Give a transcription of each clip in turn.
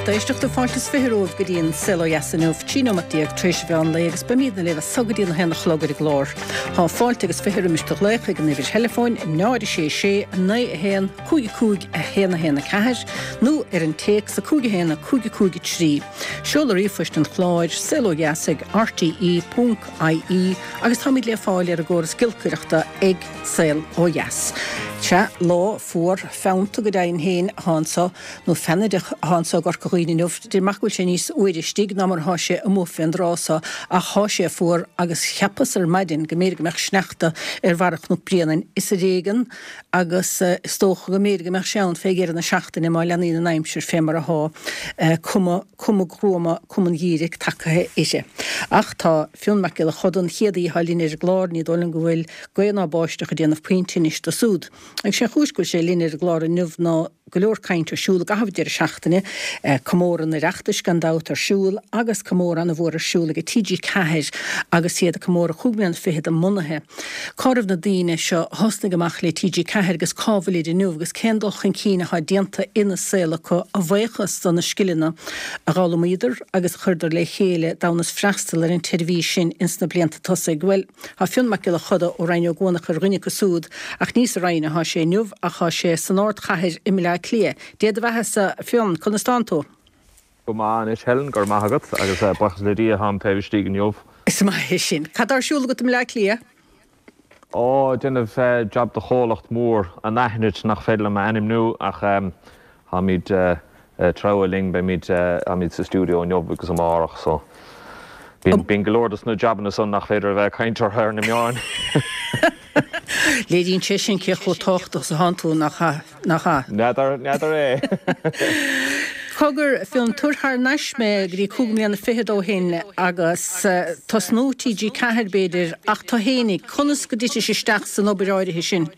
Lucht éisteachta, fáilte is 20 romhaibh go dtí an Saol Ó Dheas inniu, 13 nóimeat tar éis an mheán lae agus beimidne libh as so go dtí an 1 a chlog ar an gclár. Tá fáilte agus 20 roimis do ghlaoch ag an uimhir theileafóin 0 6 6 9 1 5 5 1 1 4 nó ar an téacs 5 1 5 5 3. Seoladh ríomhphoist an chláir, saolodheas ag rte ponc ie agus táimid le fáil ar an gcóras giolcaireachta ag Saol Ó Dheas. Sea, lá fuar, feannta go deimhin féin atá anso, nó feannaideach atá anso i gCorca Dhuibhne inniu. Deirim amach go bhfuil sé níos fhuaire istigh ná mar atá sé amuigh fén dtráth so, ach thá sé fuar agus cheapas ar maidin go mb'fhéidir go mbeadh sneachta ar bharra Chnoc Bréanainn. Is ar éigean agus is dócha go mb'fhéidir go mbeadh sé ann fé dheireadh na seachtaine má leanaíonn an aimsir fé mar athá, cuma, cuma ghruama, cuma an gheimhridh tagaithe uirthi. Ach tá Fionn Mac Giolla Choda, an chéad aoi atá linn ar an gclár, ní dóigh liom go bhfuil gaoth ná báisteach ag déanamh puinn tinnis dó súd. Agus sé an chúis go bhfuil sé linn ar an gclár inniu ná go leor cainte ar siúl i gcaitheamh an deireadh seachtaine, comóradh an Oireachtais gan dabht ar siúl agus comóradh ana-mhór ar siúl ag TG4 agus iad ag comóradh chúig mbliana fichead a mbunaithe. Cá raibh na daoine seo a thosnaigh amach le TG4 agus cá bhfuilid inniu agus cén dul chun cinn atá déanta ina saol acu a bhuíochas do na scileanna a d'fhoghlaimíodar agus a chuireadar le chéile d'fhonn is freastal ar an tseirbhís sin ins na blianta tosaigh? Bhuel, tá Fionn Mac Giolla Choda ó Rinn Ó gCuanach ar dhuine acu súd ach ní sa Rinn atá sé inniu ach tá sé san ardchathair i mBleá Cliath. Dé do bheathasa, a Fhionn, conas tánn tú? Go maith anois Helen, go raibh maith agat, agus buíochas le Dia táim taobh istigh inniu. Is maith é sin. Cad tá ar siúl agat i mBleá Cliath? Ó, ag déanamh jab do chomhlacht mór anaithnid nach féidir liom a ainmniú ach táimid ag treabhadh linn, beimid, táimid sa stiúideo inniu agus amárach so bíonn, bíonn go leor dos na jabanna san nach féidir a bheith ag caint orthu ar na meáin. Léiríonn sé sin cé chomh tábhachtach is atánn tú, nach ea? Nach ea? N'fheadar, n'fheadar é. Cogar, Fionn, tabhair thar n-ais mé go dtí chúig mbliana fichead ó shin agus tosnú TG4 b'fhéidir, ach tú fhéinig, conas go dtitis isteach san obair áirithe sin?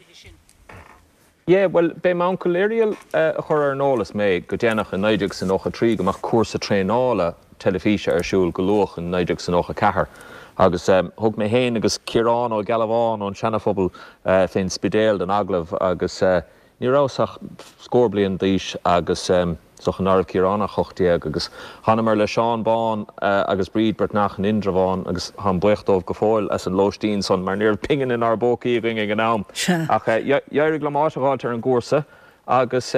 Yeah, bhuel, b'é m'uncail Irial a chuir ar an eolas mé go déanach i 1993 go mbeadh cúrsa traenála teilifíse ar siúl go luath in 1994 agus thug mé féin agus Ciarán Ó Gealbháin ón Seana-Phobal fén Spidéal don agallamh agus ní rabhas ach scór bliain d'aois agus is dócha ná raibh Ciarán ach 18 agus thanamar le Seán Bán agus Bríd Breatnach in Indreabhán agus táim buíoch dóibh go fóill as an lóistín san mar ní raibh pingin inár bpócaí againn ag an am ach d'éirigh liom áit a dh'fháilt ar an gcúrsa agus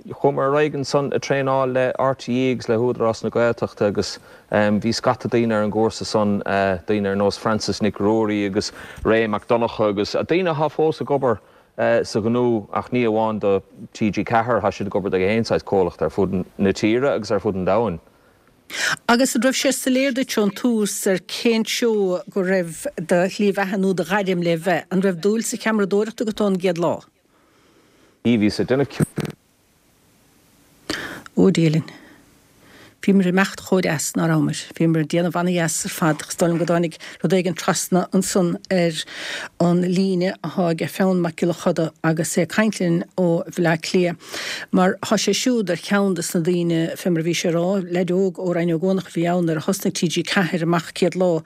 Chuamar ar aghaidh ansan ag traenáil le RTÉ agus le hÚdarás na Gaeltachta agus bhí scata daoine ar an gcúrsa san, daoine ar nós Frances Nic Ruairí agus Ray Mac Donncha agus daoine atá fós ag obair sa ghnó ach ní amháin do TG4, tá siad ag obair do gach aon saghas comhlacht ar fud na tíre agus ar fud an domhain. Agus an raibh sé soiléir duit ón tús ar cén treo go raibh do shlí bheatha nó do ghairm le bheith? An raibh dúil sa cheamaradóireacht agat ón gcéad lá? Bhíos ag déanamh ceoil. Ó Dia linn. Bhíomar ag imeacht chomh deas, ná rabhamar? Bhíomar ag déanamh ana-dheas ar fad ach is dóigh liom go dtáinig rud éigin trasna ansan ar an líne athá aige Fionn Mac Giolla Choda agus é ag caint linn ó Bhleá Cliath. Mar thá sé siúd ar cheann des na daoine, fé mar a bhí sé a rá, leaid óg ó Rinn Ó gCuanach a bhí ann nuair a thosnaigh TG4 amach céad lá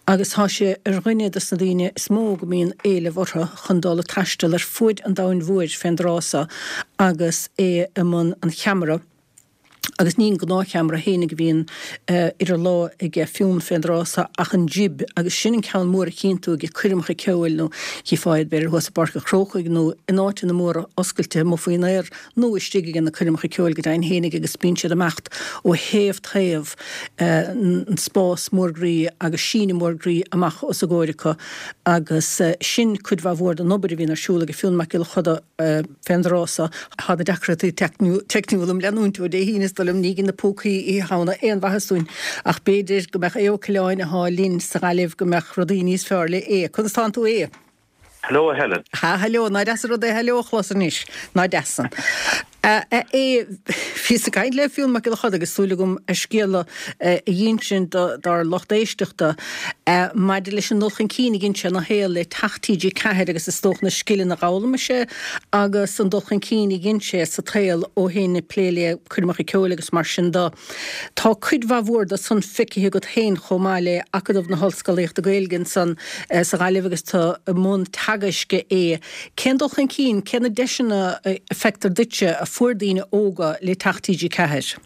agus thá sé ar dhuine des na daoine is mó go mbíonn éileamh orthu. chun dul ag taisteal ar fuaid an domhain mhóir fén dtráth so agus é i mbun an cheamara agus ní an gnáthcheamara fhéinig a bhíonn idir lámha aige Fionn fén dtráth so ach an jib agus sin an ceann mór a chíonn tú ag coirmeacha ceoil nó chífeá iad b'fhéidir thuas i bPáirc an Chrócaigh nó in áiteanna móra oscailte amuigh faoin aer nó istigh ag na coirmeacha ceoil go deimhin fhéinig agus bíonn siad ag imeacht ó thaobh taobh an spás mór groí agus síneadh mór groí amach os a gcomhair acu agus sin cuid mhaith mhór den obair a bhíonn ar siúl ag Fionn Mac Giolla Choda fén dtráth so. Tá na deacrachtaí teicniúla im leanúint ó Dé hAoine is dóigh liom, ní dhein na púcaí Oíche Shamhna aon mhaitheas dúinn ach b'fhéidir go mbeadh Aodh Ó Coileáin athá linn sa Ghaillimh go mbeadh rudaí níos fearr le Aodh. Conas tánn tú a Aodh? Hello a Helen. Ha, hello, ná deas an rud é hello a chlos anois, ná deas san. A Aodh, bhíos ag caint le Fionn Mac Giolla Choda agus súil agam a scéal a dh'insint dár lucht éisteachta maidir leis an dul chun cinn a dhein sé ina shaol le teacht TG4 agus is dócha na scileanna a dh'fhoghlaim sé agus an dul chun cinn a dhein sé sa tsaol ó shin ag plé le coirmeacha ceoil agus mar sin de. Tá cuid mhaith mhór de san feicthe agat féin chomh maith le Acadamh na hOllscolaíochta Gaeilge ansan sa Ghaillimh agus tú i mbun teagaisc a Aodh. Cén dul chun cinn, cé na deiseanna a feictear duitse a fuair daoine óga le teacht TG4?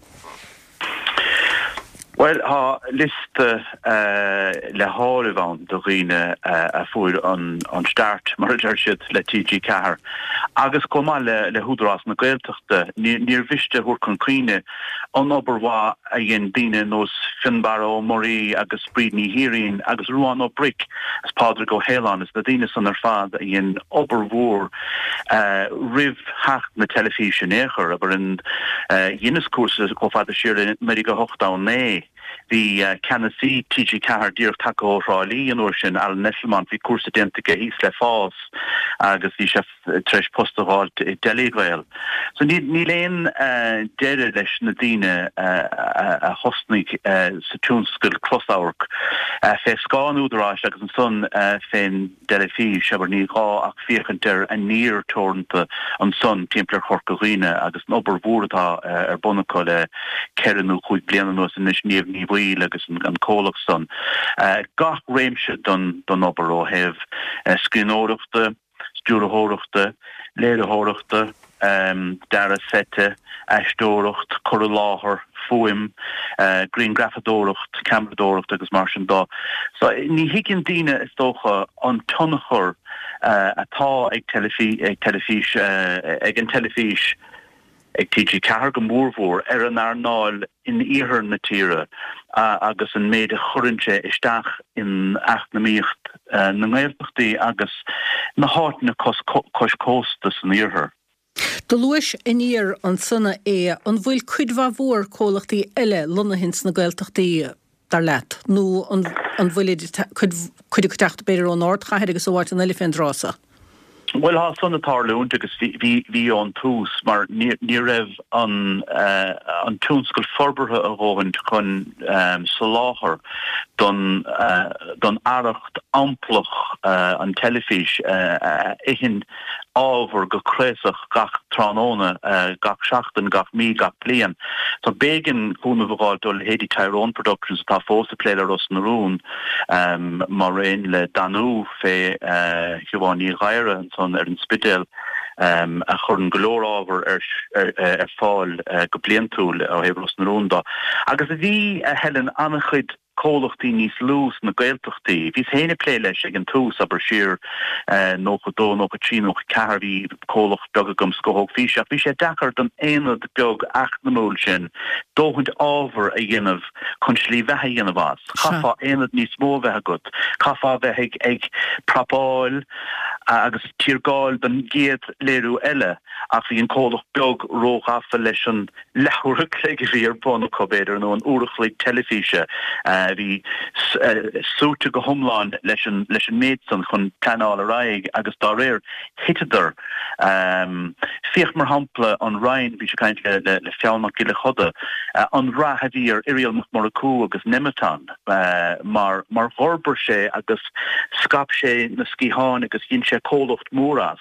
Bhuel, tá liosta le háireamh ann de dhaoine a fuair an start, mar a deir siad, le TG4 agus chomh maith le hÚdarás na Gaeltachta. Níor mhiste a thabhairt chun cuimhne an obair mhaith a dhein daoine ar nós Fionnbarra Ó Muirí agus Bríd Ní Thiaráin agus Ruán Ó Bric is Pádraig Ó hAoláin is na daoine san ar fad a dhein obair mhór roimh theacht na teilifíse in aon chor. Abair, dheineas cúrsa chomh fada siar le 1989. Bhí ceannasaí TG4 díreach tagtha ó Thrá Lí an uair sin, Alan Esslemont, bhí cúrsa déanta aige thíos le FÁS agus bhí sé tar éis post a dh'fháilt i dTelegael. So níl aon deireadh leis na daoine a thosnaigh sa tionscal closamhairc fé scáth an Údaráis agus ansan fén dteilifís, abair, ní gá ach féachaint ar Aniar Teoranta ansan timpeall ar Chorca Dhuibhne agus an obair mhór atá ar bun acu le ceithre nó chúig bliana anuas anois, Niamh Ní Bhaoill agus an comhlacht san. Gach réimse don obair ó thaobh scríbhneoireachta, stiúrthóireachta, léiritheoireachta, dearadh seite, aisteoireacht, cur i láthair, fuaim, grianghrafadóireacht, ceamaradóireacht agus mar sin de. So ní thuigeann daoine is dócha an tionchar atá ag teilifís, ag an teilifís, ag TG4 go mórmhór, ar an earnáil in iarthar na tíre agus an méid a chuireann sé isteach in eacnamaíocht na nGaeltachtaí agus na háiteanna cois cósta san iarthar. Do luais Aniar ansan a Aodha, an bhfuil cuid mhaith mhór comhlachtaí eile lonnaithe ins na Gaeltachtaí, dar leat, nó an bhfuilid, cuid acu ag teacht b'fhéidir ón ardchathair agus ó áiteanna eile fén dtráth so? Bhuel, tá san ag tarlúint agus bhí ón tús mar ní raibh an an tionscal forbartha a dhóthain chun soláthar don don fhearacht amplach an teilifís a itheann ábhar go craosach gach tráthnóna, gach seachtain, gach mí, gach bliain. So b'éigean cúnamh a dh'fháilt ó leithéidí Tyrone Productions atá fós ag plé le Ros na Rún, mar aon le Danú fé Shiobhán Ní Ghadhra ansan ar an Spidéal, a chuireann go leor ábhar ar fáil go bliantúil ó thaobh Ros na Rún de. Agus bhí, a Helen, an-chuid comhlachtaí níos lú sna Gaeltachtaí. Bhíos féin ag plé leis ag an tús, abair siar 92, 93, 94, bhí comhlacht beag agam, Scothóg Físe, ach bhí sé deacair don aonad beag eacnamúil sin dóthaint ábhar a dhéanamh chun slí bheatha a dhéanamh as. Chaithfeá aonad níos mó a bheith agat, chaithfeá a bheith ag prapáil agus tiargáil don gcéad léiriú eile ach bhí an comhlacht beag róghafa leis an leathuair a chloig a bhí ar bun acu, b'fhéidir, nó an uair a chloig teilifíse a bhí suaite go hiomlán leis an leis an méid san chun pleanáil ar aghaidh agus dá réir thiteadar. Féach mar shampla an Rinn, bhís ag caint le le Fionn Mac Giolla Choda, an rath a bhí ar Irial Mac Murchú agus Nemeton mar mar dh'fhorbair sé agus scaip sé na sciatháin agus dhein sé comhlacht mór as.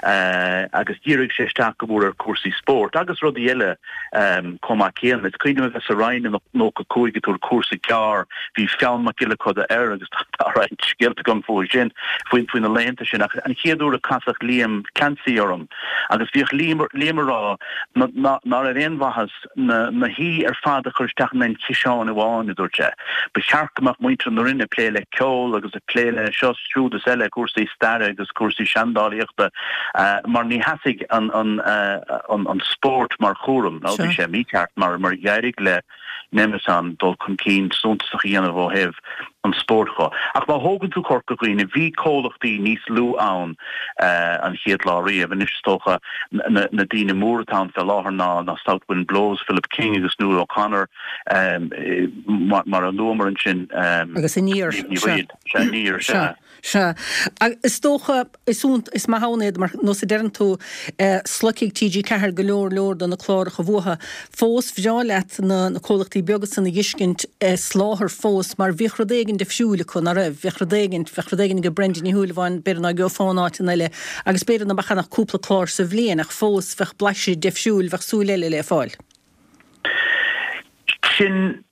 agus dhírigh sé isteach go mór ar chúrsaí spóirt agus rudaí eile chomh maith céanna. Is cuimhin liom a bheith sa Rinn i 95 ag tabhairt cúrsa gearr, bhí Fionn Mac Giolla Choda air agus tá roinnt scéalta agam fúthu sin, faoi faoi na laethanta sin ach an chéad uair a casadh Liam Clancy orm agus bhíodh Liam Liam ag rá ná raibh aon mhaitheas na na haoi ar fad a chur isteach in aon chiseán amháin, a dúirt sé. Ba cheart go mbeadh muintir na Rinne ag plé le ceol agus ag plé le seo, siúd is eile, cúrsaí staire agus cúrsaí seandálaíochta, mar ní sheasfaidh an an an spórt mar chúram. Now bhí sé mícheart mar mar d'éirigh le Nemeton dul chun cinn suntasach a dhéanamh ó thaobh an spóirt dho. Ach má thógann tú Corca Dhuibhne, bhí comhlachtaí níos lú ann an chéad lá riamh. Anois is dócha na daoine móra atá ann fé láthair ná ná South Wind Blows, Philip King agus Nuala O'Connor mar a luamar ansin. Agus Aniar. Sea, Aniar, sea. Sea. Is dócha, is is maith ann iad, mar nós a deireann tú, sloigfidh TG4 go leor leor de na cláracha uathu. Fós, bhreá leat na comhlachtaí beaga san a dh'fheiscint ag soláthar fós, mar bhíodh rud éigin difriúil acu, ná raibh? Bheadh rud éigin, bheadh rud éigin ag Brendan Ní Shúilleabháin, b'fhéidir ná gheofá in áiteanna eile, agus b'fhéidir ná beadh ann ach cúpla clár sa bhliain, ach fós, bheadh blaiseadh deifriúil, bheadh súil eile le fáil. Sin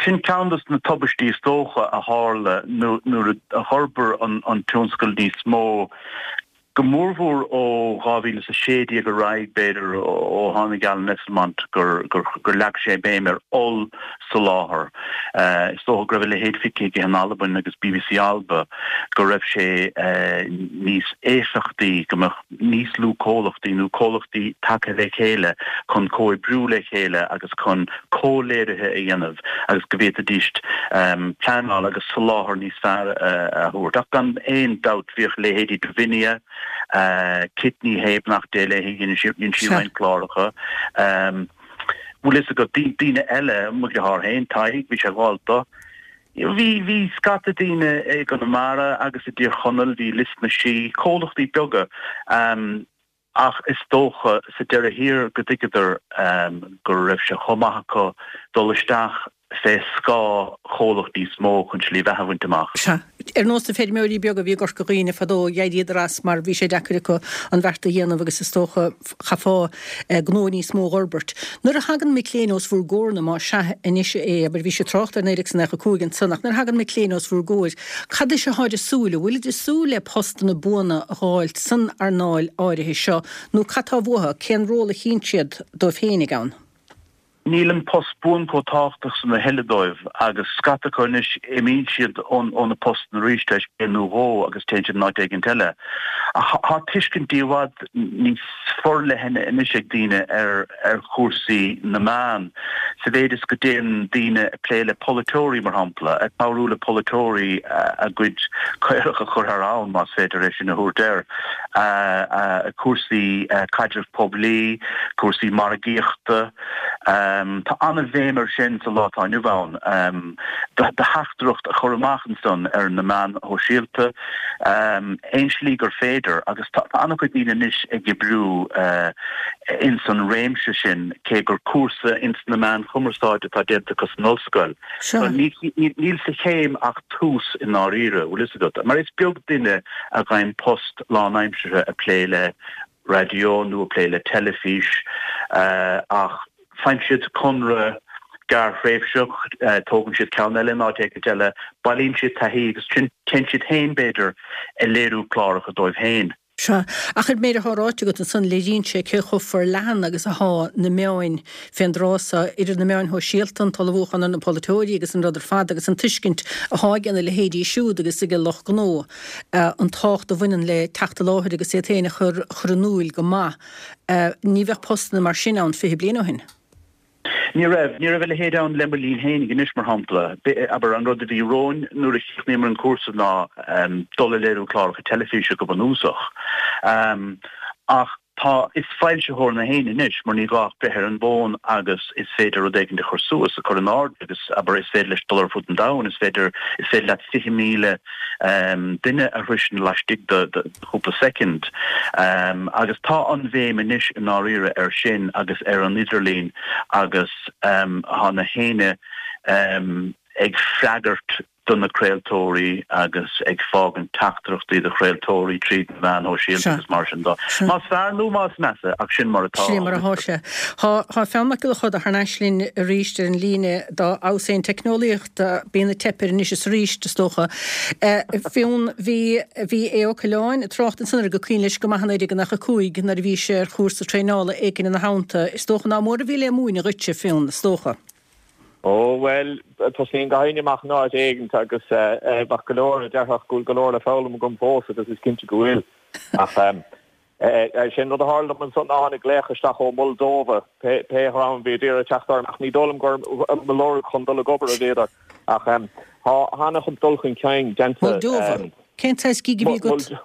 Sin ceann de na tubaistí is dócha a tharla nuair a d'fhorbair an tionscal níos mó. Go mórmhór ó 2016 ar aghaidh, b'fhéidir, ó tháinig Alan Esslemont, gur leag sé béim ar ollsoláthar. Is dócha go raibh a leithéid feicthe aige in Albain agus bbc Alba, go raibh sé níos éifeachtaí go mbeadh níos lú comhlachtaí nó comhlachtaí tagtha le chéile chun comhoibriú le chéile agus chun comhléirithe a dhéanamh agus go bhféadfaidís pleanáil agus soláthar níos fearr a thabhairt. Ach gan aon dabht bhíodh leithéidí Davinia, Kit Ní Shé, beannacht Dé léi, dhein sí roinnt cláracha. Bhfuil fhios agat, daoine eile, mo dheartháir féin, Tadhg, bhí sé ag gabháil dó. Bhí, bhí scata daoine i gConamara agus i dTír Chonaill, bhí Lios na Sí, comhlachtaí beaga ach is dócha sa deireadh thiar go dtuigeadar go raibh sé chomh maith acu dul isteach fé scáth chomhlacht níos mó chun slí bheatha a bhaint amach. Sea. Ar nós na feirmeoirí beaga a bhí i gCorca Dhuibhne fadó, d'éiríodar as mar bhí sé deacair acu an bheart a dhéanamh agus is dócha chaithfeá gnó níos mó a dh'fhorbairt. Nuair a thagann mic léinn os bhur gcomhair, nó más ea anois é, abair, bhís ag trácht ar 1995 ansan, ach nuair a thagann mic léinn os bhur gcomhair, cad is atáid ag súil, an bhfuilid ag súil le postanna buana a dh'fháilt san earnáil áirithe seo, nó cad tá uathu, cén ról a chíonn siad dóibh féinig ann? Níl an post buan chomh tábhachtach san a thuilleadh dóibh agus scata acu anois, imíonn siad ó na postanna arís tar éis bliain nó dhó agus téann siad in áit éigint eile. Ach tá tuiscintí i bhfad níos forleithne anois ag daoine ar ar chúrsaí na meán, sa mhéid is go dtéann daoine ag plé le polaiteoirí, mar shampla, ag cabhrú le polaiteoirí a gcuid caorach a chur thar abhainn, más féidir é sin a thabhairt air, cúrsaí caidreamh poiblí, cúrsaí margaíochta. Tá an-bhéim air sin sa lá atá inniu ann, do theachtaireacht a chur amach ansan ar na meáin shóisialta, aon slí gur féidir, agus tá an-chuid daoine anois ag oibriú ins an réimse sin, cé gur cúrsa ins na meáin chumarsáide atá déanta acu san ollscoil. Níl sa chéim ach tús i ndáiríre, bhfuil fhios agat, mar is beag duine a fhaigheann post lánaimseartha ag plé le raidió nó ag plé le teilifís ach faigheann siad conradh gearrthréimhseach, tógann siad ceann eile in áit éicint eile, bailíonn siad taithí agus téann siad féin, b'fhéidir, ag léiriú cláracha dóibh féin. Sea, ach ar méid atá ráite agat ansan, léiríonn sé cé chomh forleathan agus athá na meáin fén dtráth so, idir na meáin shóisialta, an t-ullmhúchán ar na polaiteoirí agus an rud ar fad agus an tuiscint athá age na leithéidí siúd agus ag an lucht gnó. an tábhacht a bhaineann le teacht i láthair agus iad féin a chur chur in iúil go maith. Ní bheadh postanna mar sin ann 20 bliain ó shin. Ní raibh. Ní raibh a leithéid ann le mo linn fhéinig anois, mar shampla. Abair, an rud a bhí romhainn nuair a chríochnaíomar an cúrsa ná dul a léiriú cláracha teilifíse go bunúsach. Ach Tá, is foilsitheoir na héinne anois, mar ní gá ach breith ar an bhfón agus is féidir rud éigin a chur suas, a chur in airde agus, abair, is féidir leis dul ar fud an domhain, is féidir, is féidir leat 20,000 duine a shroisint laistigh de chúpla soicind. Agus tá an bhéim anois i ndáiríre air sin agus ar an idirlíon agus tá na héinne ag freagairt do na craoltóirí agus ag fágaint teachtaireachtaí do chraoltóirí tríd na meáin shóisialta agus mar sin de. Más fearr nó más measa, ach sin mar atá. Sin mar atá sé. Tá Fionn Mac Giolla Chuda thar n-ais linn arís ar an líne dá fheabhas é an teicneolaíocht, bíonn ag teip air anois is arís, is dócha. Fionn, bhí, bhí Aodh Ó Coileáin ag trácht ansan ar gur cuimhin leis go maith i 1995 nuair a bhí sé ar chúrsa traenála éigin ina theannta. Is dócha ná mór a bhí le múineadh dhuitse, Fionn, is dócha. Ó, bhuel, tosaíonn gach éinne amach in áit éigint agus bheadh go leor a déarfadh go bhfuil go leor le foghlaim agam fós agus is cinnte go bhfuil. Ach sé an rud a tharla dom ansan ná tháinig glaoch isteach ó Moldova, pé dhream a bhí ag iarraidh teacht orm ach ní dóigh liom gur mo lorg chun dul ag obair a bhíodar. Ach tá an-chuid dul chun cinn déanta. Moldova? Cén saghas gig a bhí agat?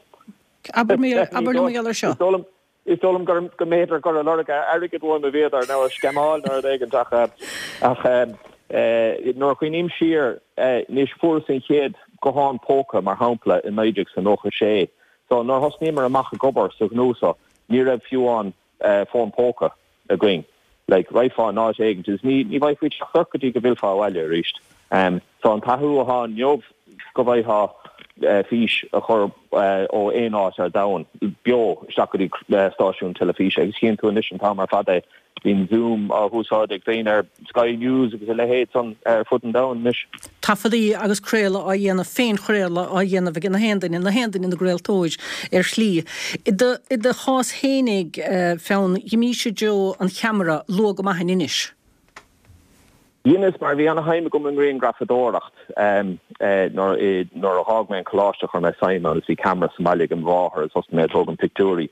Abair liom mar gheall air seo. Is dóigh liom go mb'fhéidir gur ag lorg airgid uaim a bhíodar, nó ag sceamáil nó rud éigint ach ach nuair a chuimhním siar anois fuaireas an chéad guthán póca mar shampla i 1996. So nuair a thosnaíomar amach ag obair sa ghnó seo ní raibh fiú amháin fón póca. againn. Like, raghfá in áit éigint agus ní, ní bhfaighfí teacht ort go dtí go bhfillfeá abhaile arís. So an t-athrú atá inniu go bhfaighfeá fís a chur ó aon áit ar domhan, beo, isteach go dtí stáisiún teilifíse agus chíonn tú anois an t-am ar fad é. Bíonn Zoom á húsáid ag daoine ar Sky News agus a leithéid san ar fud an domhain anois. Taifeadaí agus craoladh á dhéanamh, féinchraoladh á dhéanamh ag na haon duine, na haon duine ina gcraoltóir ar shlí. I do, i do chás fhéinig, Fionn, dh'imís i dtreo an cheamara luath go maith in Inis. Dheineas, mar bhí ana-shuim agam i ngrianghrafadóireacht. Nuair a dh'fhág mé an coláiste chuir mé suim ann agus bhí ceamara sa mbaile ag mo mháthair agus thosnaigh mé ag tógaint pictiúirí.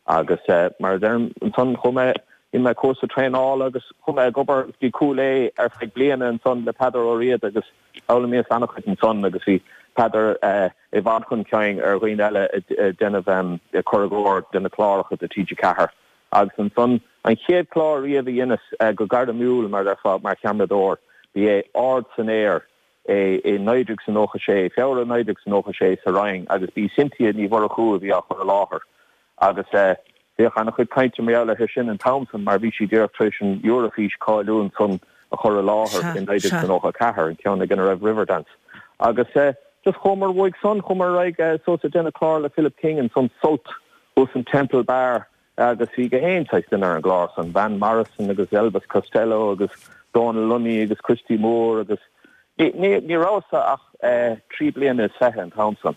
Agus mar a deirim, ansan chuaigh mé, dhein mé cúrsa traenála agus chuaigh mé ag obair go dtí Cúil Aodha ar feadh bliana ansan le Peadar Ó Riada agus d'fhoghlaimíos an-chuid ansan agus bhí Peadar i bhfad chun cinn ar dhaoine eile ag déanamh, ag cur i gcóir de na cláracha do TG4. Agus ansan, an chéad chlár riamh a dheineas go gairmiúil, mar a déarfá, mar cheamaradóir, ba é Ard san Aer é i 1996, Feabhra 1996 sa Rinn agus b'í Cynthia Ní Mhurchú a bhí á chur i láthair. Agus bhíodh ana-chuid cainte mar gheall uirthi sin an t-am san mar bhí sí díreach tar éis an Eurofís cáiliúil san a chur i láthair i 1994, an ceann ag ina raibh Riverdance. Agus just chuamar uaidh san, chuamar ar aghaidh suas ag déanamh clár le Philip King ansan, Sult, thuas in Temple Bar agus bhí gach aon saghas duine ar an gclár san, Van Morrison agus Elvis Costello agus Dónal Lunny agus Christy Moore agus ní ní rabhas-sa ach 23 bliana an t-am san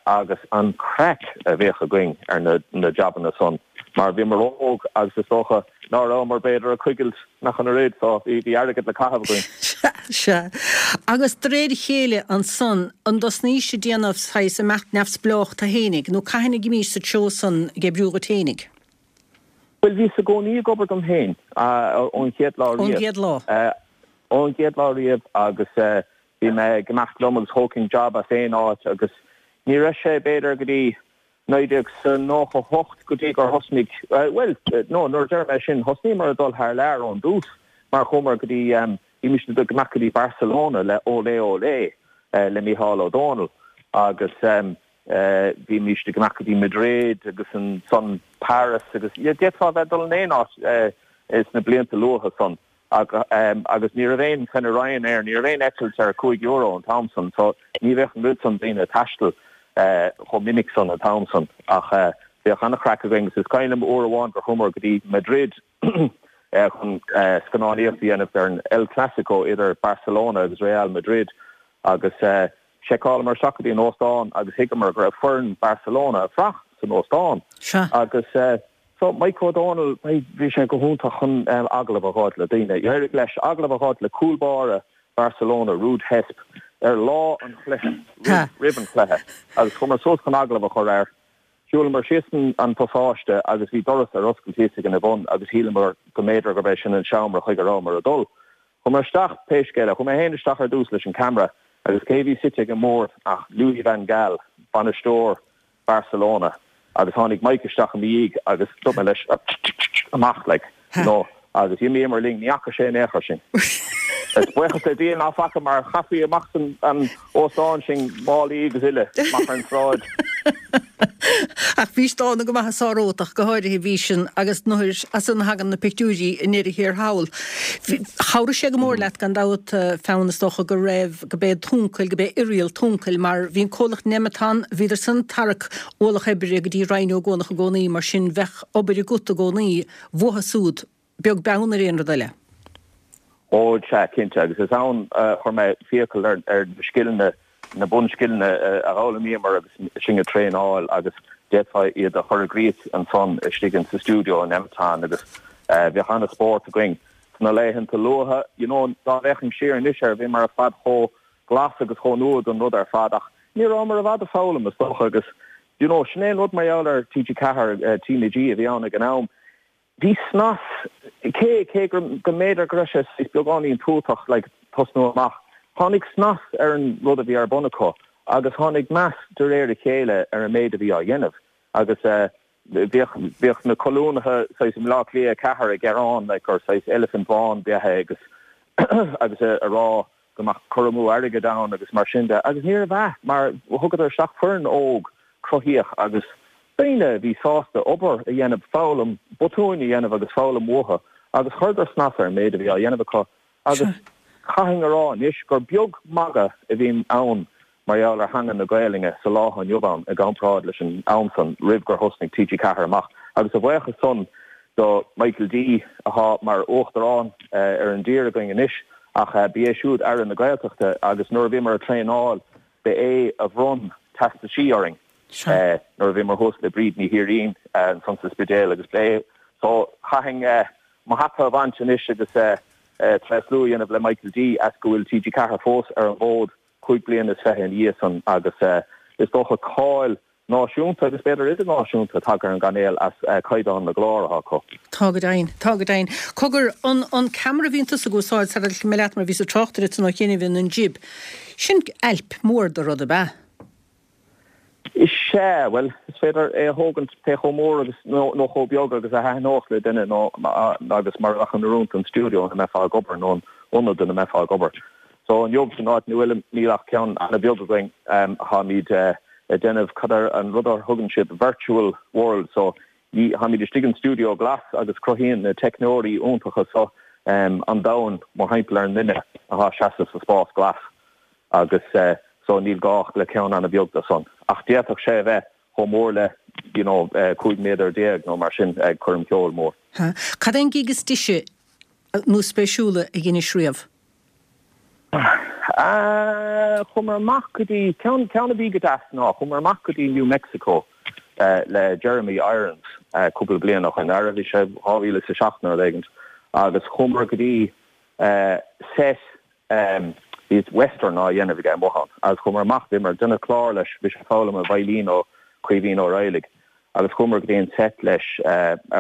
agus an craic a bhíodh againn ar na na jabanna san mar bhíomar óg agus is dócha ná rabhamar b'fhéidir ag coigilt ach an oiread so bhí bhí airgead le caitheamh againn. Sea, sea. Agus de réir a chéile ansan, an dtosnaís ag déanamh saghas imeacht neamhspleách tú fhéinig, nó cathain a dh'imís sa treo san ag oibriú dhuit fhéinig? Bhuel, bhíos i gcónaí ag obair dom féin ón chéad lá riamh. Ón gcéad lá. Ón gcéad lá riamh agus bhí mé ag imeacht liom agus thógfainn job as aon áit agus ní raibh sé b'fhéidir go dtí 1998 go dtí gur thosnaigh, bhuel, no, nuair a deir mé sin, thosnaíomar ag dul thar lear ón dtús mar chuamar go dtí, bhímis ag imeacht go dtí Barcelona le Olé Olé le Mícheál Ó Dónaill agus bhímis ag imeacht go dtí Madrid agus ansan Paris agus d'fhéadfá a bheith ag dul in aon áit sna blianta luatha san. Agus ní raibh aon kind of Ryanair, ní raibh aon eitilt ar €5 an t-am san, so ní bheadh an oiread san daoine ag taisteal chomh minic san an t-am san. Ach bhíodh an-chraic againn agus is cuimhin liom uair amháin gur chuamar go dtí Madrid chun scannánaíocht a dhéanamh ar an El Clasico idir Barcelona agus Real Madrid agus sheiceálamar isteach go dtí an óstán agus thuigeamar go raibh foireann Barcelona ag fuireach san óstán agus So, Mike Ó Dónaill, bhí sé go hiontach chun agallamh a dh'fháilt le daoine. D'éirigh leis agallamh a dh'fháilt le cúl báire Barcelona, Ruud Hesp, ar lá an chluiche, roimh an chluiche, agus chuamar suas chun agallamh a chur air. Shiúlamar síos an pasáiste agus bhí doras ar oscailt thíos ag an bhun agus shíleamar go mb'fhéidir gurb é sin an seomra chuig a rabhamar ag dul. Chuamar isteach, pé scéal é, chuaigh mé féin isteach ar dtús leis an camera agus cé a bhí suite ag an mbord ach Louis van Gaal, bainisteoir Barcelona agus tháinig Mike isteach i mo dhiaidh agus dúirt mé leis amach like you know agus d'imíomar linn, ní fhaca sé in aon chor sinn. Is buíochas le Dia ná faca mar chaithfí amach as an óstán sinn, málaí agus uile, amach ar an tsráid. Ach bhís dána go maith is árótach, go háirithe bhís sin agus nuair as san a thagann na pictiúirí i ndeireadh thiar thall. Chabhraigh sé go mór leat gan dabht, Fionn, is dócha go raibh, go b'é t'uncail, go b'é Irial t'uncail, mar bhí an comhlacht Nemeton, bhíodar san ag tarrac ualach oibre go dtí Rinn Ó gCuanach i gcónaí, mar sin bheadh obair agat i gcónaí, bhuatha súd, beag beann ar aon rud eile. Ó, sea, cinnte, agus is ann a chuir mé fiacail ar na scileanna, na bunscileanna a d'fhoghlaimíomar agus sinn ag traenáil agus d'fhéadfá iad a chur i gcrích ansan istigh in sa stiúideo in Nemeton agus bheadh an-spórt againn. Sna laethanta luatha, you know, dá bhféachfainn siar anois air, bhíomar ar fad chomh glas agus chomh nua don rud ar fad ach ní rabhamar i bhfad ag foghlaim, is dócha, agus, you know, sin é an rud mar gheall ar TG4, TnaG a bhí ann ag an am, bhí snas, cé, cé go, go mb'fhéidir go raibh sé saghas beagáinín tútach, like, tosnú amach, tháinig snas ar an rud a bhí ar bun acu agus tháinig meas de réir a chéile ar an méid a bhí á dhéanamh agus, eh, Bhíodh, bhíodh na colúnaithe saghas i mBleá Cliath 4 ag gearán like gur saghas eilifint bhán ab ea é agus agus a rá go mbeadh cur amú airgid ann agus mar sin de agus níorbh ea mar thugadar isteach foireann óg cruthaíoch agus daoine a bhí sásta obair a dhéanamh, foghlaim, botúin a dhéanamh agus foghlaim uathu agus chuireadar snas ar an méid a bhí á dhéanamh acu agus chaithfinn a rá anois gur beag magadh a bhíonn ann mar gheall ar theanga na Gaelainne sa lá atá inniu ann i gcomparáid leis an am san roimh gur thosnaigh TG4 amach agus a bhuíochas san. Do Michael D athá mar Uachtarán ar an dtír againn anois ach ba é siúd Aire na Gaeltachta agus nuair a bhíomar ag traenáil ba é a bhronn teastaisí orainn nuair a bhíomar thuas le Bríd Ní Thiairín ansan sa Spidéal agus ba é so chaithfinn mo hata a bhaint anois agus tréaslú a dhéanamh le Michael D as go bhfuil TG4 fós ar an bhfód 25 bliana ina dhiaidh san agus is dócha cáil náisiúnta agus b'fhéidir idirnáisiúnta tagtha ar an gcainéal as caighdeán na gclár atá acu. Tá go deimhin. Tá go deimhin. Cogar, an an ceamara a bhíonn tusa ag úsáid, sara mé leat mar bhíos ag trácht air ansan ó chianaibh, an jib, sin ailp mór de rud ab ea? Is ea, bhuel, is féidir é a thógaint pé chomh mór agus, nó nó chomh beag agus a thaitneodh le duine nó agus mar a bheadh in oiriúint don stiúideo ina mbeifeá ag obair nó an ionad ina mbeifeá ag obair. So inniu san áit ina bhfuilim níl ach ceann an-bheag againn. Táimid ag déanamh cad é an rud a thugann siad virtual world so ní, táimid istigh in stiúideo glas agus cruthaíonn na teicneoirí iontacha so an domhan mórthimpeall ar an nduine atá ag seasamh sa spás glas agus so níl gá ach le ceann an-bheag de san. Ach d'fhéadfadh sé a bheith chomh mór le you know 15 méadar nó mar sin ag coirm cheoil mór. Cad é an gig is deise nó spéisiúla a dheinis riamh? Chuamar amach go dtí, ceann, ceann a bhí go deas ná, chuamar amach go dtí New Mexico le Jeremy Irons cúpla bliain ó shin, ara bhí sé 2007 nó rud éigint, agus chuamar go dtí set, bhí western á dhéanamh aige amuigh ann, agus chuamar amach, bhíomar ag déanamh clár leis, bhí sé ag foghlaim an veidhlín ó Caoimhín Ó Raghallaigh, agus chuamar go dtí an set leis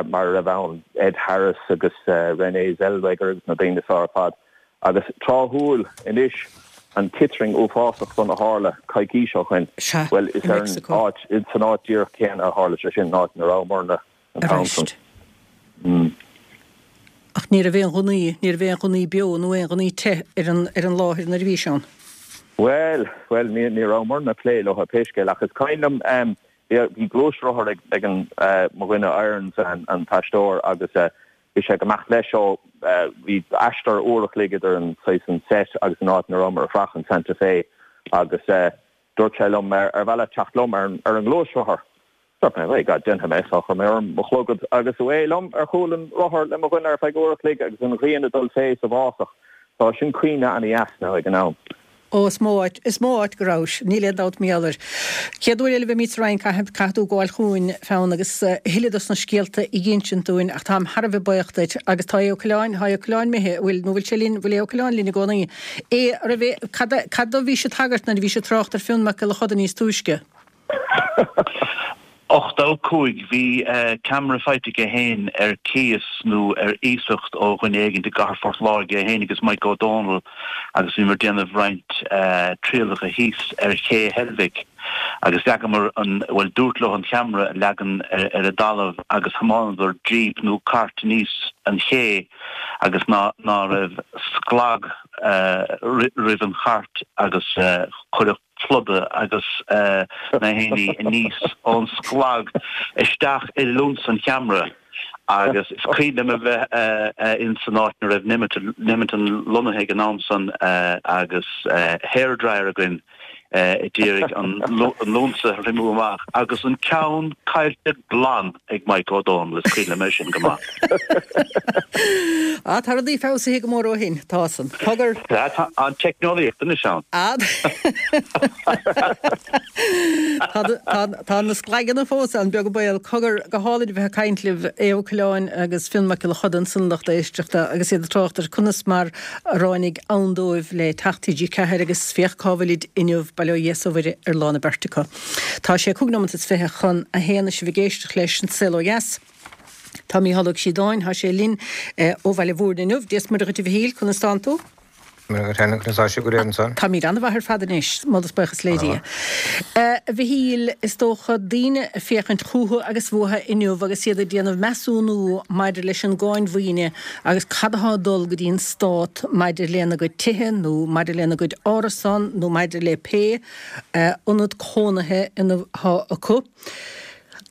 mar a raibh ann Ed Harris agus Renée Zellweger agus na daoine so ar fad. Agus tráthúil anois, an citring uafásach san a tharla coicís ó shoin, Sea, bhuel, i is ar an Mexico. áit, san áit díreach céanna a tharla sé sin, an áit ina rabhamarna an t-am san. Arís. Ach ní raibh aon ghunnaí, ní raibh aon ghunnaí beo nó aon ghunnaí te ar an, ar an láthair nuair a bhí sé ann. Bhuel, bhuel, ní, ní rabhamarna ag plé leo pé scéal, ach is cuimhin liom, bhí, bhí gluaisrothar ag, ag an, mo dhuine Irons, an, an t-aisteoir, agus Bhí sé ag imeacht leis ó bhí aistear uair a chloig idir an saghas an set agus an áit ina rabhamar ag fuireach in Santa Fe agus dúirt sé liom ar mhaith leat teacht liom ar an ngluaisrothar. Dúirt mé, by God, déanfaidh mé. So chuir mé orm mo chlogad agus away liom ar chúl an rothair le mo dhuine ar feadh uair a chloig agus an ghrian ag dul fé sa bhfásach. So sin cuimhne ana-dheas now ag an am. Ó, is mó áit, is mó áit go rabhais, níl aon dabht mar gheall air. Chéad uair eile a bheimid sa Rinn, caithfidh, caithfidh tú gabháil chugainn, Fionn, agus a thuilleadh dos na scéalta a dh'insint dúinn, ach táim thar a bheith buíoch duit. Agus tá Aodh Ó Coileáin, tá Aodh Ó Coileáin imithe, an bhfuil, nó bhfuil sé linn, bhfuil Aodh Ó Coileáin linn i gcónaí? Aodh, a raibh, cad a, cad dó bhís ag tagairt nuair a bhís ag trácht ar Fionn Mac Giolla Choda níos túisce? 85, Bhí ceamara faighte aige féin ar cíos nó ar iasacht ó dhuine éigin i gcathair Phort Láirge, é féin agus Mike Ó Dónaill agus bhíomar ag déanamh roinnt trialacha thíos ar ché Heilbhic agus leagamar an, bhuel dúrt leo an cheamara a leagan ar an dtalamh agus thiomáineadar jíp nó cairt aníos an ché agus ná ná raibh sclag roimh an chairt agus cuireadh pluda agus na héinní aníos ón sclag isteach i lionsa an cheamara agus is cuimhin liom a bheith in san áit ina raibh Nemeton lonnaithe ag an am san agus hair dryer againn a d'iarraidh an lionsa a thriomú amach agus an ceann caillte glan ag Mike Ó Dónaill, is cuimhin liom é sin go maith. Ah, tá rudaí feabhsaithe go mór ó shin, tá san. Cogar. Tá an teicneolaíocht anois ann. Ah, tá na sclaigeanna fós ann, beag an baol. Cogar, go hálainn a bheith ag caint libh, Aodh Ó Coileáin agus Fionn Mac Giolla Choda ansan lucht éisteachta agus iad ag trácht ar conas mar a ráinig ann dóibh le teacht TG4 agus féach cá bhfuilid inniu, bail ó Dhia 's ó Mhuire ar lán an beirt acu. Tá sé 5 nóimeat is 20 chun a haon is sibh ag éisteacht leis An Saol Ó Dheas. Tá Mícheál Ó Críodáin, tá sé linn ó Bhaile Mhúirne inniu. Dia 's Muire dhuit a Mhichíl, conas tánn tú? Muire dhuit fhéin, conas tá sibh go léir ansan? Táimid an-mhaith ar fad anois, moladh is buíochas le Dia. A Mhichíl, is dócha daoine ag féachaint chúthu agus uathu inniu agus iad ag déanamh measúnú maidir leis an gcáin mhaoine agus cad atá ag dul go dtí an stát maidir lena gcuid tithe nó maidir lena gcuid árasán nó maidir le pé ionad cónaithe ina atá acu.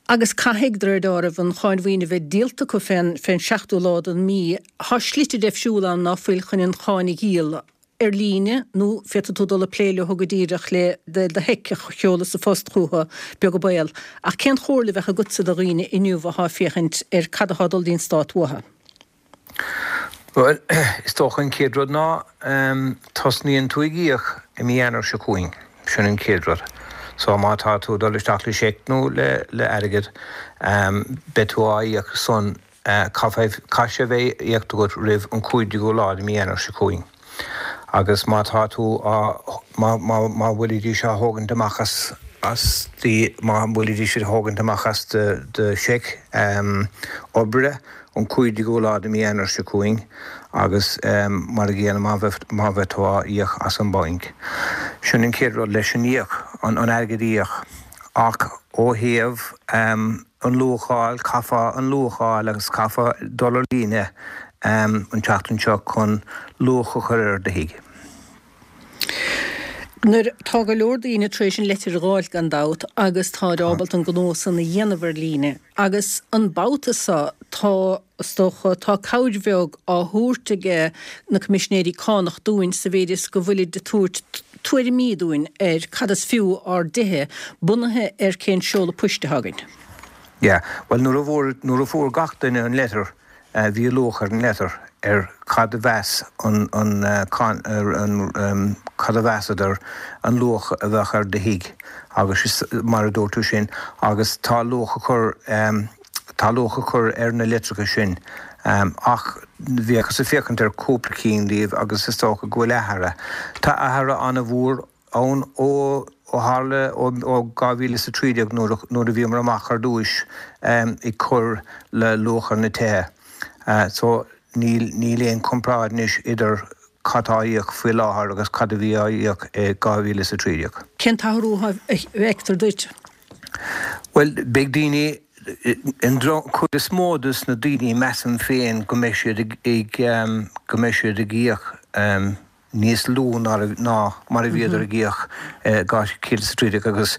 Agus caithfidh, de réir deáraimh, an cháin mhaoine a bheith díolta acu fén, fén seachtú lá den mí. Tá slite deifriúla ann ná fuil chun an cháin a dhíol. ar líne nó féadfaidh tú dul ag plé leo go díreach le do sheic a sheoladh sa phost chucu, beag an baol. Ach cén chomhairle a bheadh agatsa do dhaoine inniu atá ag féachaint ar cad atá ag dul dtí'n stát uathu? Bhuel, is dócha an chéad rud ná tosnaíonn tú ag íoc i mí Eanáir seo chugainn. Sin an chéad rud. So má tá tú ag dul isteach le seic nó le airgead, beidh tú á íoc san Caithfidh sé a bheith íocta agat roimh an 15ú lá de mí Eanáir seo chugainn. Agus má tá tú á, má, má, má bhfuilidís á thógaint amach as, as do, má bhfuilidís á thógaint amach as do, do sheic oibre an 15ú lá de mí Eanáir seo chugainn agus mar a gcéanna má bheith, má bheith tú á íoc as an banc. Sin an chéad rud leis an íoc, an, an airgead a íoc. Ach ó thaobh. an luacháil, caithfeá an luacháil agus caithfeá dul ar líne an tseachtain seo chun luach a chur ar do thigh. Nuair tá go leor daoine tar éis an leitir a dh'fháilt gan dabht agus táid ábalta an gnó san a dhéanamh ar líne agus an babhta so tá, is dócha, tá cabhair bheag á thabhairt age na Coimisinéirí Cánach dúinn sa mhéid is go bhfuilid ag tabhairt tuairimí dúinn ar cad is fiú ár dtithe, bunaithe ar cén seoladh poist atá againn. Yeah, bhuel nuair a bhfuair, nuair a fuair gach duine an leitir, bhí luach ar an leitir, ar cad a mheas an, an, an, cad a mheasadar an luach a bheadh ar do thigh agus mar a dúirt tú sin agus tá luach á chur, tá luach á chur ar na litreacha sin ach bhíothas ag féachaint ar cúpla cinn díobh agus is dócha go bhfuil athruithe. Tá athruithe an-mhór ann ó tharla ó 2013 nuair a bhíomar amach ar dtúis ag cur le luach ar na tithe. So níl níl aon comparáid anois idir cad tá á íoc faoi láthair agus cad a bhí á íoc i 2013. Cén t-athrú a fheictear duit? Bhuel, beidh daoine, an chuid is mó dos na daoine, measaim féin go mbeidh siad ag, go mbeidh siad ag íoc níos lú ná mar a bhíodar ag íoc i 2013 agus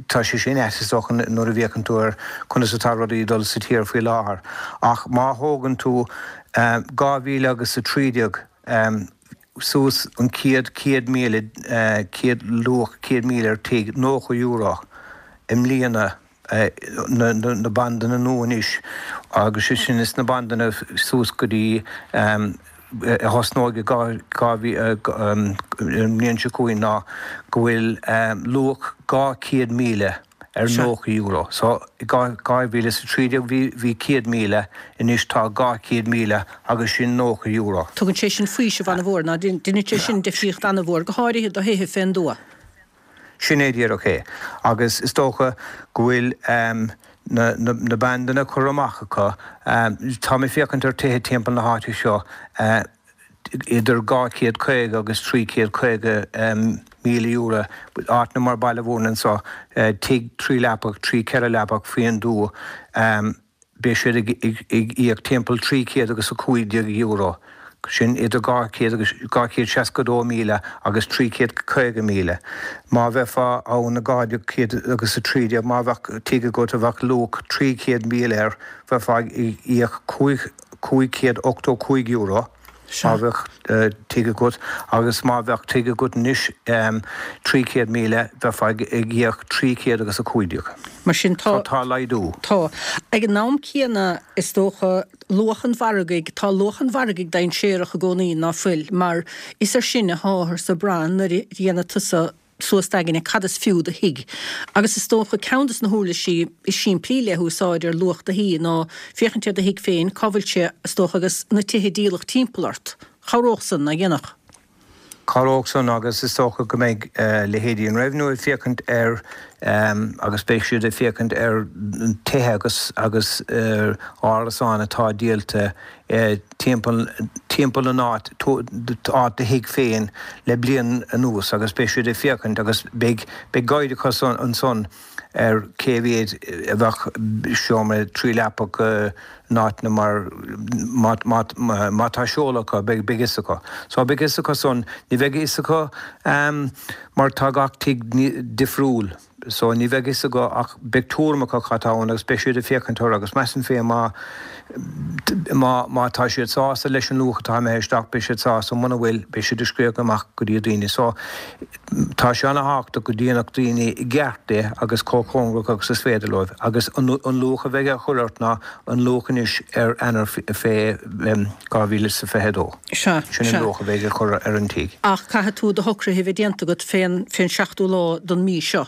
tá sé sin ait is dócha nuair a bhféachann tú ar conas atá rudaí ag dul sa tír faoi láthair. Ach má thógann tú 2013, suas an chéad 100,000, chéad luach 100,000 ar tigh, €90 i mbliana, na bandanna nua anois agus sé sin is na bandanna suas go dtí a thosnóidh i 2000, an mbliain seo chugainn ná go bhfuil luach 200,000 ar €90. So, i 2013 bhí bhí 100,000, anois tá 200,000 agus sin €90. Tugann sé sin faoiseamh an-mhór, ná deineann sé sin difríocht an-mhór, go háirithe do thithe fén dtuath. Sin é díreach é. Agus is dócha go bhfuil na na bandanna curtha amach acu. Tá mé ag féachaint ar tithe timpeall na háite seo, idir 250 agus 350 míle euro, áiteanna mar Baile Mhúirne anseo, tigh 3 leapach, 3 4 leapach faoin dtuath, beidh siad ag íoc timpeall 300 agus 15 euro, sin idir 200 agus 262 míle agus 350 míle. Má bheifeá ann i 200 agus 13, má bheadh tigh agat a bheadh luach 300 míle air, bheifeá ag íoc €585 má bheadh tigh agat agus má bheadh tigh agat anois 300,000 bheifeá ag íoc 300 agus 15. Mar sin tá. Tá laghdú. Tá. Ag an am céanna is dócha luach an mhargaidh, tá luach an mhargaidh dainséarach i gcónaí, ná fuil, mar is ar sin atáthar ag brath nuair a dhéanfaidh tusa suas d'aigne cad is fiú do thigh. Agus is dócha ceann de na huirlisí is simplí le húsáid ar luach do thí ná féachaint ar do thigh féin, cá bhfuil sé, is dócha, agus na tithe díolach timpeall ort. Chabhródh san, ná dhéanfadh? Chabhródh san agus is dócha go mbeidh leithéidí an Revenue ag féachaint ar agus beidh siad ag féachaint ar tithe agus agus árasáin atá díolta timpeall timpeall an áit áit do thigh féin le bliain anuas agus beidh siad ag féachaint agus beidh beidh guide acu ansan ar cé mhéad a bheadh seomra 3 leapach in áiteanna mar má má má tá seoladh acu beidh beidh fhios acu. So beidh fhios acu san ní bheidh fhios acu mar tá gach tigh difriúil. So ní bheidh fhios acu ach beidh tuairim acu cad tá ann agus beidh siad ag féachaint orthu agus measaim féin má má má tá siad sásta leis an luach atá imithe isteach beidh siad sásta, muna bhfuil beidh siad ag scríobh amach go dtí daoine. So tá sé ana-thábhachtach go ndéanfadh daoine i gceart é agus chomh cóngarach agus is féidir leo agus an an luach a bheidh á chur ort ná an luach anois ar Eanáir 2022. Sea, Sin an sea. luach a bheidh á chur ar an tigh. Ach caithfidh tú do shocruithe a bheith déanta agat fén, fén seachtú lá don mí seo,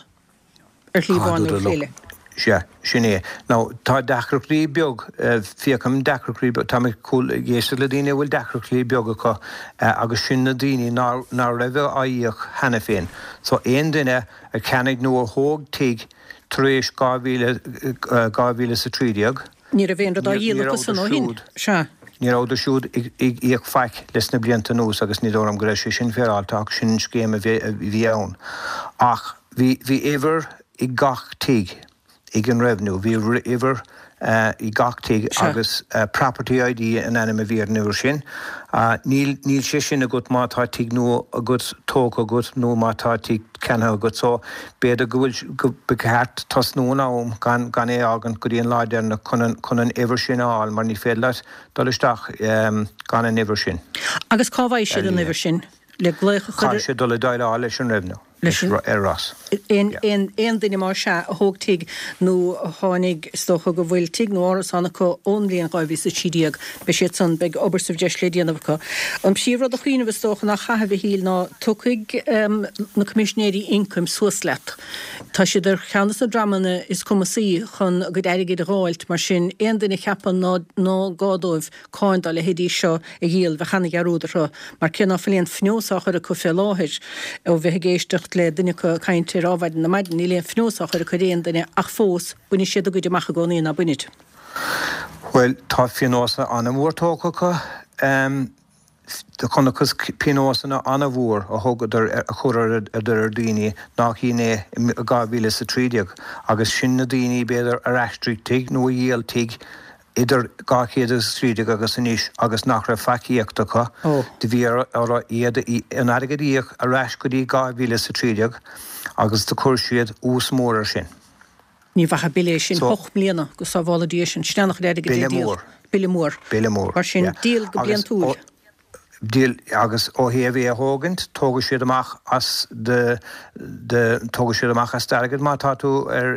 ar shlí amháin nó ar shlí eile. Sea, sin é. Now, tá deacrachtaí beag, féachaim deacrachtaí beag, tá mé ag éisteacht le daoine a bhfuil deacrachtaí beag acu agus sin na daoine ná, ná raibh á íoc cheana féin. So, aon duine a cheannaigh nó a thóg tigh tar éis 2000, 2013, Ní raibh aon rud á dhíol acu san ó shin. Sea. Ní rabhadar siúd ag íoc faic leis na blianta anuas agus ní dóigh liom go raibh sé sin féaráilte ach sin an scéim a bhí ann. Ach bhí bhí uimhir ag gach tigh ag an Revenue, bhí uimhir ag gach tigh agus Property ID an ainm a bhí ar an uimhir sin. Níl níl sé sin agat má tá tigh nua agat tógtha agat nó má tá tigh ceannaithe agat so b'fhéidir go bhfuil go ba cheart tosnú in am gan gan é a fhágaint go dtí an lá deireanach chun an chun an uimhir sin a fháil mar ní féidir leat dul isteach gan an uimhir sin. Agus cá bhfaighidh siad an uimhir sin? Le glaoch a chur ar. Caithfidh siad dul ag déileáil leis an Revenue. Leis an. Ar Ros. Aon aon aon duine más ea a thóg tigh nó a tháinig is dócha go bhfuil tigh nó árasán acu ón mbliain 2013 beidh siad san beidh obair sa bhreis le déanamh acu. An príomh rud a chuimhneamh is dócha ná chaithfidh a Mhichíl ná tiocfaidh na Coimisinéirí Ioncaim suas leat. Tá siad ar cheann de na dreamanna is cumasaí chun a gcuid airgid a dh'fháilt mar sin aon duine a cheapann ná ná gá dóibh cáin dá leithéidí seo a dhíol, bheadh ana-dhearúd orthu, mar cé ná fuil aon phionós á chur acu fé láthair, ó bheith ag éisteacht le duine acu ag caint ar Adhmhaidin ar maidin, níl aon phionós á chur acu ar aon duine, ach fós, bainfidh siad a gcuid amach i gcónaí, ná bainfid? Bhuel, tá pionós an-mhór tógtha acu. Do chonacthas pionósanna an-mhór a thugadar, a chuireadar ar daoine nach shin é i 2013 agus sin na daoine b'fhéidir ar aistrigh tigh nó a dhíol tigh idir 213 agus anois agus nach raibh faic íochta acu. Do bhí orthu iad an airgead a íoc ar ais go dtí 2013 agus do chuir siad ús mór ar sin. Ní mhaith an bille é sin, hocht mbliana, go sábhála Dia sinn, sin an-chuid airgid le díol. Bille mór. Bille mór. Mar sin, díol go bliantúil. Díol, agus ó thaobh é a thógaint, tógfaidh siad amach as do, do, tógfaidh siad amach as d'airgead má tá tú ar,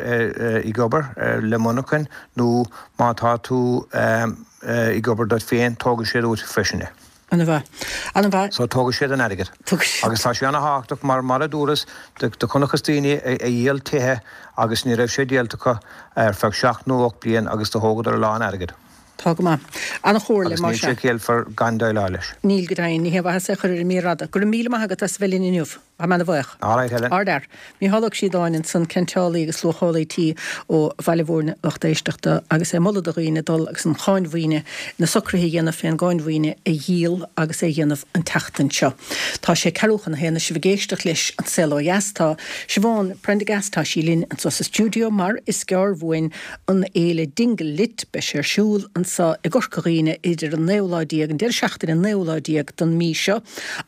ag obair le monarchain nó má tá tú ag obair duit féin, tógfaidh siad uait freisin é. Ana-mhaith. Ana-mhaith. So tógfaidh siad an airgead. Tógfaidh siad. Agus tá sé ana-thábhachtach mar, mar a dúras, do, do chonacthas daoine a, a dhíol tithe agus ní raibh sé díolta acu ar feadh seacht nó ocht bliain agus do thógadar a lán airgid. Tá go maith. Ana-chomhairle, Agus níl más ea. sé ciallmhar gan déileáil leis. Níl go deimhin. Ní haon mhaitheas é a chur ar an mír fhada. Go raibh míle maith agat as a bheith linn inniu. Tá mé ana-bhuíoch. All right, Helen. Ardfhear. Mícheál Ó Críodáin ansan, ceantálaí agus luachálaí tí ó Bhaile Mhúirne, lucht éisteachta, agus é ag moladh do dhaoine dul agus an cháin mhaoine, na socruithe a dhéanamh fén gcáin mhaoine a dhíol agus é a dhéanamh an tseachtain seo. Tá sé ceathrú chun a haon, sibh ag éisteacht leis An Saol Ó Dheas. Tá Siobhán Prendergast, tá sí linn anso sa stiúideo mar is gearr uainn an fhéile Dingle Lit. Beidh sé ar siúl anso i gCorca Dhuibhne idir an naoú lá déag, an deireadh seachtaine an naoú lá déag den mí seo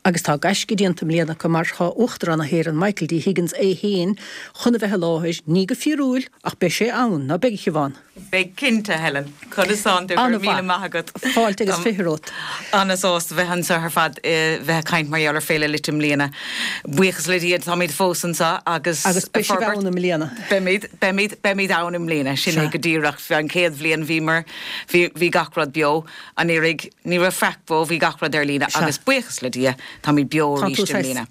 agus tá gaisce déanta i mbliana acu mar tá Uachtarán na hÉireann Michael D. Higgins é féin chun a bheith i láthair, ní go fíorúil ach beidh sé ann, ná beidh a Shiobhán? Beidh cinnte, Helen. Conas tánn tú? Go raibh míle maith agat. Fáilte agus 20 romhat. Ana-sásta bheith anseo ar fad, bheith ag caint mar gheall ar Féile Lit i mbliana. Buíochas le Dia táimid fós anseo agus Agus beidh sibh ann i mbliana. Beimid, beimid, beimid ann i mbliana, sin é go díreach. An chéad bhliain bhíomar, bhí, bhí gach rud beo. Anuraidh ní raibh faic beo, bhí gach rud ar líne agus buíochas le Dia táimid beo arís i mbliana.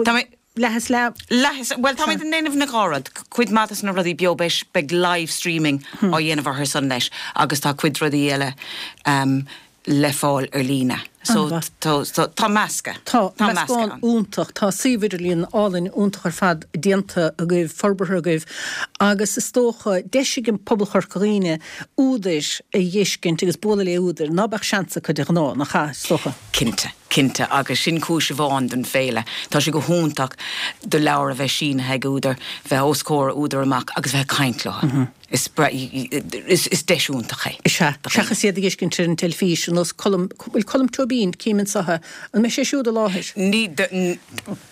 Tá leath is leath. Leath is, bhuel táimid ag déanamh na dhá rud. Cuid maith de na rudaí beo beidh, beidh live streaming á dhéanamh orthu san leis agus tá cuid rudaí eile le fáil ar líne. So tá meascadh. Tá meascán iontach. Tá suíomh idirlíon álainn iontach ar fad déanta agaibh, forbartha agaibh agus is dócha deis ag pobal Chorca Dhuibhne údair a dh'fheiscint agus bualadh le údair ná beadh seans acu de ghnáth, nach ea, is dócha? Cinnte. Cinnte, agus sin cúis amháin don féile. Tá sé go hiontach do leabhar a bheith sínithe ag údar, bheith os comhair údar amach agus bheith ag caint leo. Is is deis iontach é. Is ea. Seachas iad a dh'fheiscint ar an teilifís, ar nós Colm, bhfuil Colm Tóibín, cím anso é, an mbeidh sé siúd i láthair? Ní,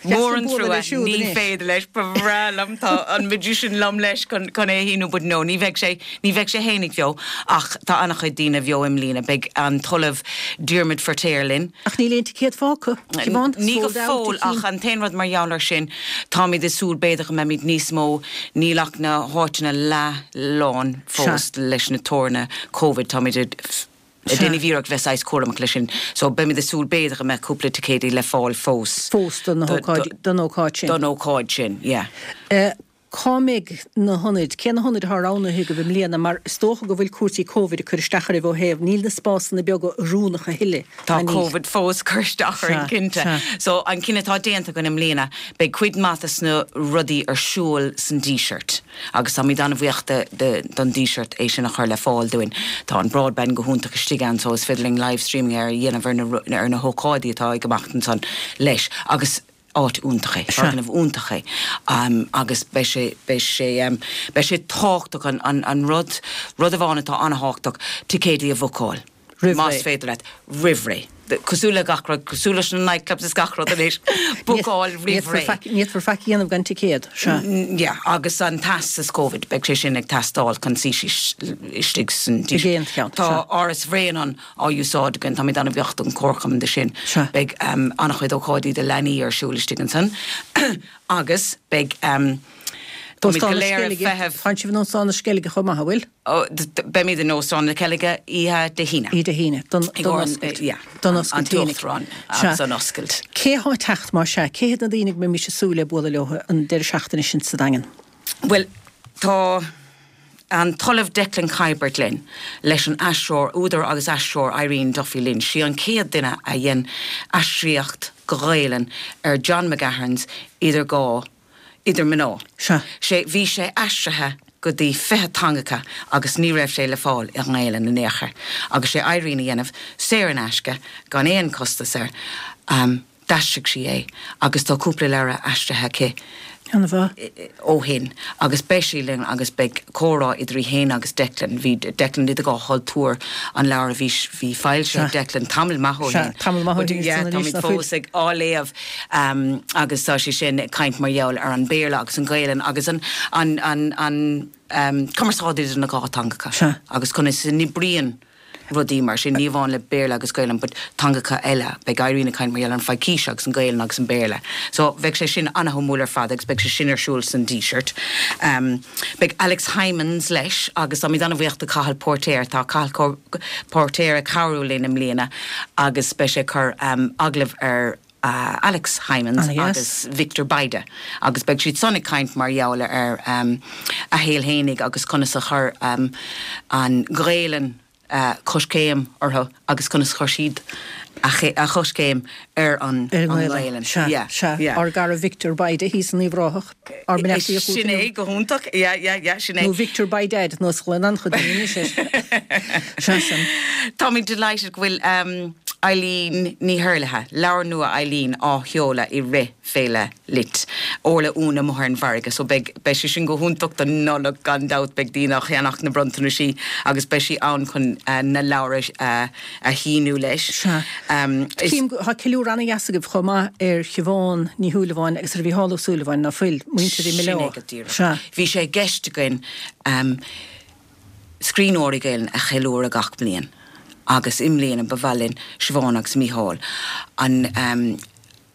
mór an trua, ní féidir leis, ba bhreá liom, tá an magician liom leis chun é a shíniú but no, ní bheidh sé, ní bheidh sé fhéinig bheo ach tá an-chuid daoine bheo i mbliana, beidh an tOllamh Diarmaid Feirtéar linn. Ach níl aon ticéad fágtha, Siobhán, Ní go fóill ach an t-aon rud mar gheall air sin, táimid ag súil b'fhéidir go mbeimid níos mó, níl ach na háiteanna leath lán fós leis na teorainneacha Covid, táimid ag déanamh iarracht bheith saghas cúramach leis sin, so beimid ag súil b'fhéidir go mbeadh cúpla ticéidí le fáil fós. Fós don ócáid sin. Don ócáid sin, yeah. Cá mbeidh na hionaid? Cé na hionaid atá roghnaithe agaibh i mbliana? Mar is dócha go bhfuil cúrsaí Covid ag cur isteach oraibh ó thaobh, níl na spásanna beaga oiriúnach a thuilleadh, Tá Covid fós ag cur isteach orainn, cinnte. So an cinneadh atá déanta againn i mbliana, beidh cuid maith des na rudaí ar siúl san Díseart agus táimid an-bhuíoch don Díseart é sin a chur le fáil dúinn. Tá an broadband go hiontach istigh ann so is féidir linn live streaming a dhéanamh ar na hócáidí atá ag imeacht ansan leis agus áit iontach é, foirgneamh iontach é agus beidh sé, beidh sé, beidh sé tábhachtach an, an, an rud, rud amháin atá an-thábhachtach, ticéidí a bhookáil. Roimh ré. Más féidir leat, roimh ré. Cosúil le gach rud, cosúil leis na nightclubs is gach rud anois, bookáil roimh ré. Ní fhéadfar faic a dhéanamh gan ticéad, sea. Yeah, agus an teastas Covid, beidh sé sin ag teastáil chun suí síos istigh san. Ag aon cheann, sea. Tá Áras Bhréanainn á úsáid againn. Táimid an-bhuíoch don Chomharchumann de sin. Beidh an-chuid ócáidí do leanaí ar siúl istigh ansan agus beidh, táimid go léir ag feitheamh. Tá sibh in Óstán na Sceilge chomh maith, an bhfuil? Beimid in Óstán na Ceilge oíche Dé hAoine. Oíche Dé hAoine, don oscailt. Yeah, don oscailt an tUachtarán agus an oscailt. Cé thá ag teacht más ea? Cé hiad na daoine go mbeimis ag súil le bualadh leo an deireadh seachtaine sin sa Daingean? Bhuel, tá an tOllamh Declan Kiberd linn, leis an aistritheoir, údar agus aistritheoir Irene Duffy linn. Sí an chéad duine a dhein aistríocht go Gaelainn ar John McGahern's Idir Dhá, Idir Mná. Sea. Sé, bhí sé aistrithe go dtí 20 teangacha agus ní raibh sé le fáil i nGaelainn in aon chor. Agus sé Irene a dhéanamh, saor in aisce, gan aon costas air. D'aistrigh sí é agus tá cúpla leabhar aistrithe aici ó shin agus beidh sí linn agus beidh comhrá idir í féin agus Declan. Bhí Declan idir dhá chultúr, an leabhar a bhí bhí foilsithe ag Declan tamall maith ó shin. Tamall maith ó shin yeah, táimid fós ag á léamh agus tá sé sin ag caint mar gheall ar an Béarla agus an Ghaelainn agus an an an an cumarsáid idir na dhá teangacha agus conas a n-oibríonn rudaí mar sin, ní amháin le Béarla agus Gaelainn but teangacha eile. Beidh Irene ag caint mar gheall ar an Phaidhcís agus an Ghaelainn agus an Béarla. So bheadh sé sin ana-shuimiúil ar fad agus beidh sé sin ar siúl san Díseart. Beidh Alex Hijmans leis agus táimid ana-bhuíoch do Cathal Póirtéir. Tá Cathal Póirtéir ag cabhrú linn i mbliana agus beidh sé ag cur agallamh ar Alex Hijmans agus Victor Bayda agus beidh siad san ag caint mar gheall ar a shaol fhéinig agus conas a chuir an Ghaelainn coiscéim orthu agus conas a chuir siad a choiscéim ar an nGaelainn. Sea, sea. Ár gcara Victor Bayda thíos in Uíbh Ráthach, ár mbeannachtaí chugat Sin é, go hiontach. Yeah, yeah, yeah, sin é. Nó Victor by Dad, nós a ghlaonn an-chuid daoine anois air. Sea, sin. Táimid delighted go bhfuil Eileen Ní hEarlaithe, leabhar nua Eileen á sheoladh i rith Féile Lit, Orla Uain amuigh ar an bhfarraige. So beidh, beidh sé sin go hiontach don Nollaig gan dabht, beidh daoine á cheannach na bronntanaisí agus beidh sí ann chun na leabhair a, a shíniú leis. Sea. Is. Cím go, tá ceiliúradh ana-dheas agaibh chomh maith ar Shiobhán Ní Shúilleabháin agus ar Mhícheál Ó Súilleabháin, ná fuil, muintir Sin é go díreach. Sea. Bhí sé i gceist againn scríbhneoirí Gaelainne a cheiliúradh gach bliain agus i mbliana ba mhaith linn Siobhán agus Mícheál an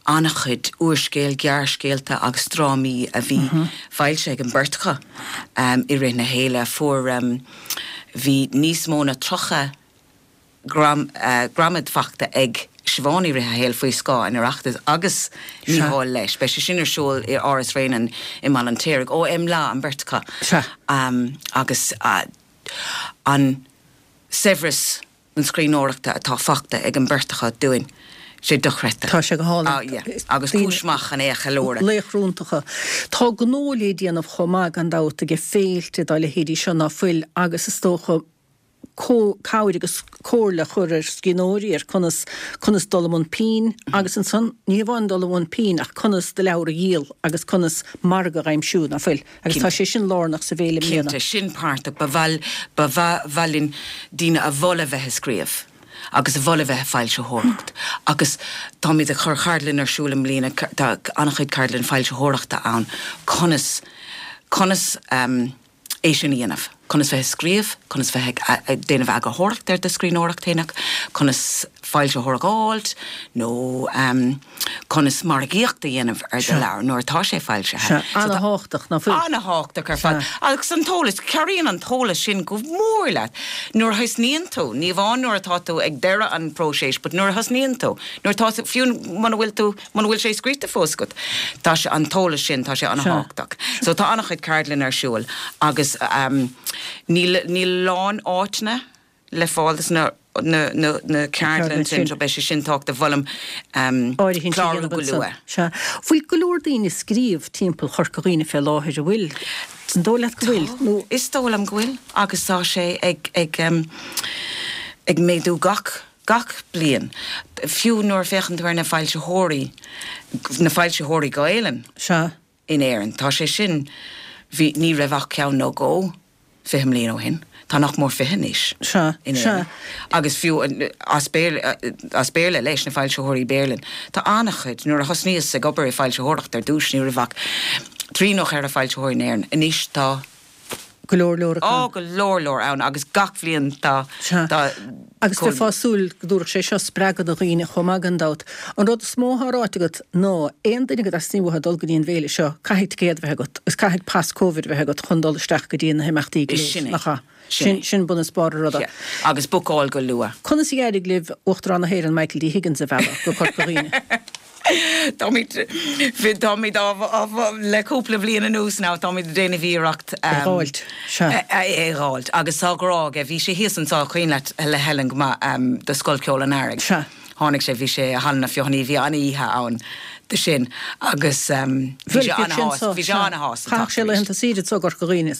an-chuid úrscéal, gearrscéalta agus drámaí a bhí foilsithe ag an beirt acu i rith na féile. Fuair, bhí níos mó na 30 gradam fachta ag Siobhán i rith a shaoil faoi scáth an Oireachtais agus Mícheál leis. Beidh sé sin ar siúl i Áras Bhréanainn i mBaile an tSaoraigh. Ó Imleá an bheirt acu. Agus an saibhreas na scríbhneoireachta atá fachta ag an beirt acu dúinn, sé dochreidte. Tá sé go hálainn. Agus cúis maith chun é a cheiliúradh. Laochra iontacha. Tá gnó le déanamh chomh maith gan dabht aige féilte dá leithéidí seo ná fuil agus is dócha. Cabhair agus comhairle a chur ar scríbhneoirí ar conas conas dul i mbun pinn agus ansan ní hamháin dul i mbun pinn ach conas do leabhar a dhíol agus conas margadh a aimsiú, ná fuil? Agus tá sé sin lárnach sa bhféile i mbliana. Cinnte, sin páirteach. Ba mhaith ba mhaith linn daoine a mholadh a bheith ag scríobh agus a mholadh a bheith ag foilsitheoireacht agus táimid ag cur ceardlann ar siúl i mbliana, tá an-chuid ceardlann foilsitheoireachta ann, conas conas é sin a dhéanamh, conas bheith ag scríobh, conas bheith ag déanamh eagarthóireacht ar do scríbhneoireacht fhéineach, conas foilsitheoir a dh'fháilt nó conas margaíocht a dhéanamh ar do leabhar nuair atá sé foilsithe. Sea, ana-thábhachtach, ná fuil? Ana-thábhachtach ar fad. Agus an t-eolas, cabhraíonn an t-eolas sin go mór leat nuair a thosnaíonn tú, ní amháin nuair atá tú ag deireadh an phróisis but nuair a thosnaíonn tú, nuair atá tú, fiú muna bhfuil tú, Muna bhfuil sé scríte fós agat, tá sé, an t-eolas sin, tá sé an-thábhachtach. So tá an-chuid ceardlann ar siúl agus níl, níl a lán áiteanna le fáil dos na, na, na, na ceardlann sin, so beidh sé sin tábhachtach, mholfainn Áirithint a clárú dhéanamh go ansan. luath. Sea. Bhfuil go leor daoine ag scríobh timpeall Chorca Dhuibhne fé láthair, an bhfuil? An dóigh leat go bhfuil, nó? Is dóigh liom go bhfuil agus tá sé ag, ag, ag méadú gach Gach bliain, fiú nuair a féachann tú ar na foilsitheoirí, na foilsitheoirí Gaelainn Sea. in Éirinn, tá sé sin, bhí, ní raibh ach ceann nó dhó 20 mbliain ó shin, tá nach mór 20 anois Sea. in Sea. Éirinn. Agus fiú as Béarla, as Béarla leis, na foilsitheoirí Béarla, tá an-chuid, nuair a thosnaíos ag obair i foilsitheoireacht ar dtús, ní raibh ach trí nó cheithre foilsitheoir in Éirinn, anois tá. go leor leor acu. Á, go leor leor ann agus gach bhliain tá, Sea. tá. Agus bheifeá ag súil go dtabharfadh sé seo spreagadh do dhaoine chomh maith gan dabht. An rud is mó atá ráite agat ná aon duine go dteastaíonn uathu dul go dtí an bhféile seo, caithfidh ticéad a bheith agat agus caithfidh pas Covid a bheith agat chun dul isteach go dtí na himeachtaí go léir, Sin é. nach ea? Sin Sin, é. sin bun is barr an ruda. Sea. Agus bookáil go luath. Conas a d'éirigh libh Uachtarán na hÉireann Michael D. Higgins a mhealladh go Corca Dhuibhne? Táimid, táimid á, á, le cúpla bliain anuas now, táimid ag déanamh iarracht É dh'fháilt, sea. é dh'fháilt. Agus tá grá aige, bhí sé thíos anseo, cuimhin leat, le Helen go maith, do Scoil Ceoil an Earraigh. Sea. Tháinig sé, bhí sé i Halla na Feothanaí, bhí an-oíche ann do sin agus bhí sé an-shásta, bhí sé an-shásta Chaitheadh sé laethanta saoire anseo i gCorca Dhuibhne.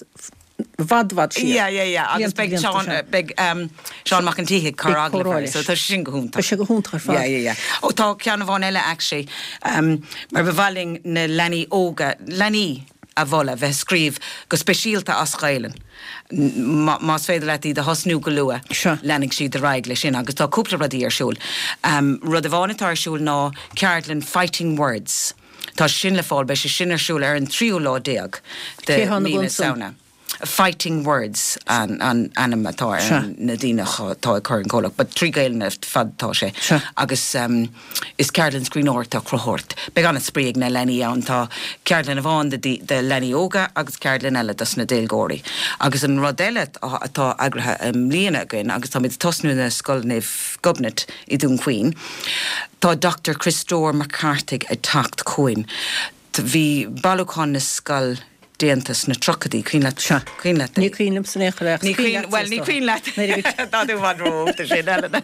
i bhfad, bhfad siar. Yeah, yeah, yeah. Agus beidh Seán, beidh Seán Mac an tSíthigh ag cur agallamh air, so tá sé sin go hiontach. Beidh sé go hiontach ar fad. Yeah, yeah, yeah. Ó tá ceann amháin eile actually, mar ba mhaith linn na leanaí óga, leanaí a mholadh bheith ag scríobh go speisialta as Gaelainn. Más féidir leat iad a thosnú go luath, leanfaidh siad ar aghaidh leis sin agus tá cúpla rudaí ar siúl. Rud amháin atá ar siúl ná ceardlann Fighting Words. Tá sin le fáil, beidh sé sin ar siúl ar an tríú lá déag de Cé thá ina mí na bhun san? Samhna. Fighting Words an ainm atá ar na daoine atá ag cur an comhlacht, but trí Gaelainn ar fad atá sé. Sea. Agus is ceardlann scríbhneoireachta cruthaitheoireacht. Beidh an-spraoi ag na leanaí ann. Tá ceardlann amháin do leanaí óga agus ceardlann eile dos na déagóirí. Agus an rud eile atá eagraithe i mbliana againn, agus táimid ag tosnú i Scoil Naomh Gobnait i Dún Chaoin, Tá Dr Criostóir Mac Cárthaigh ag teacht chugainn. Bhí bailiúchán na scol déanta sna tríochaidí, cuimhin leat? Sea. Cuimhin leat é? Ní cuimhin liomsa in aon chor é ach Ní cuimhin cuimhin, bhuel, ní cuimhin leat. Tá tú i bhfad ró-óg do sin, Ellen.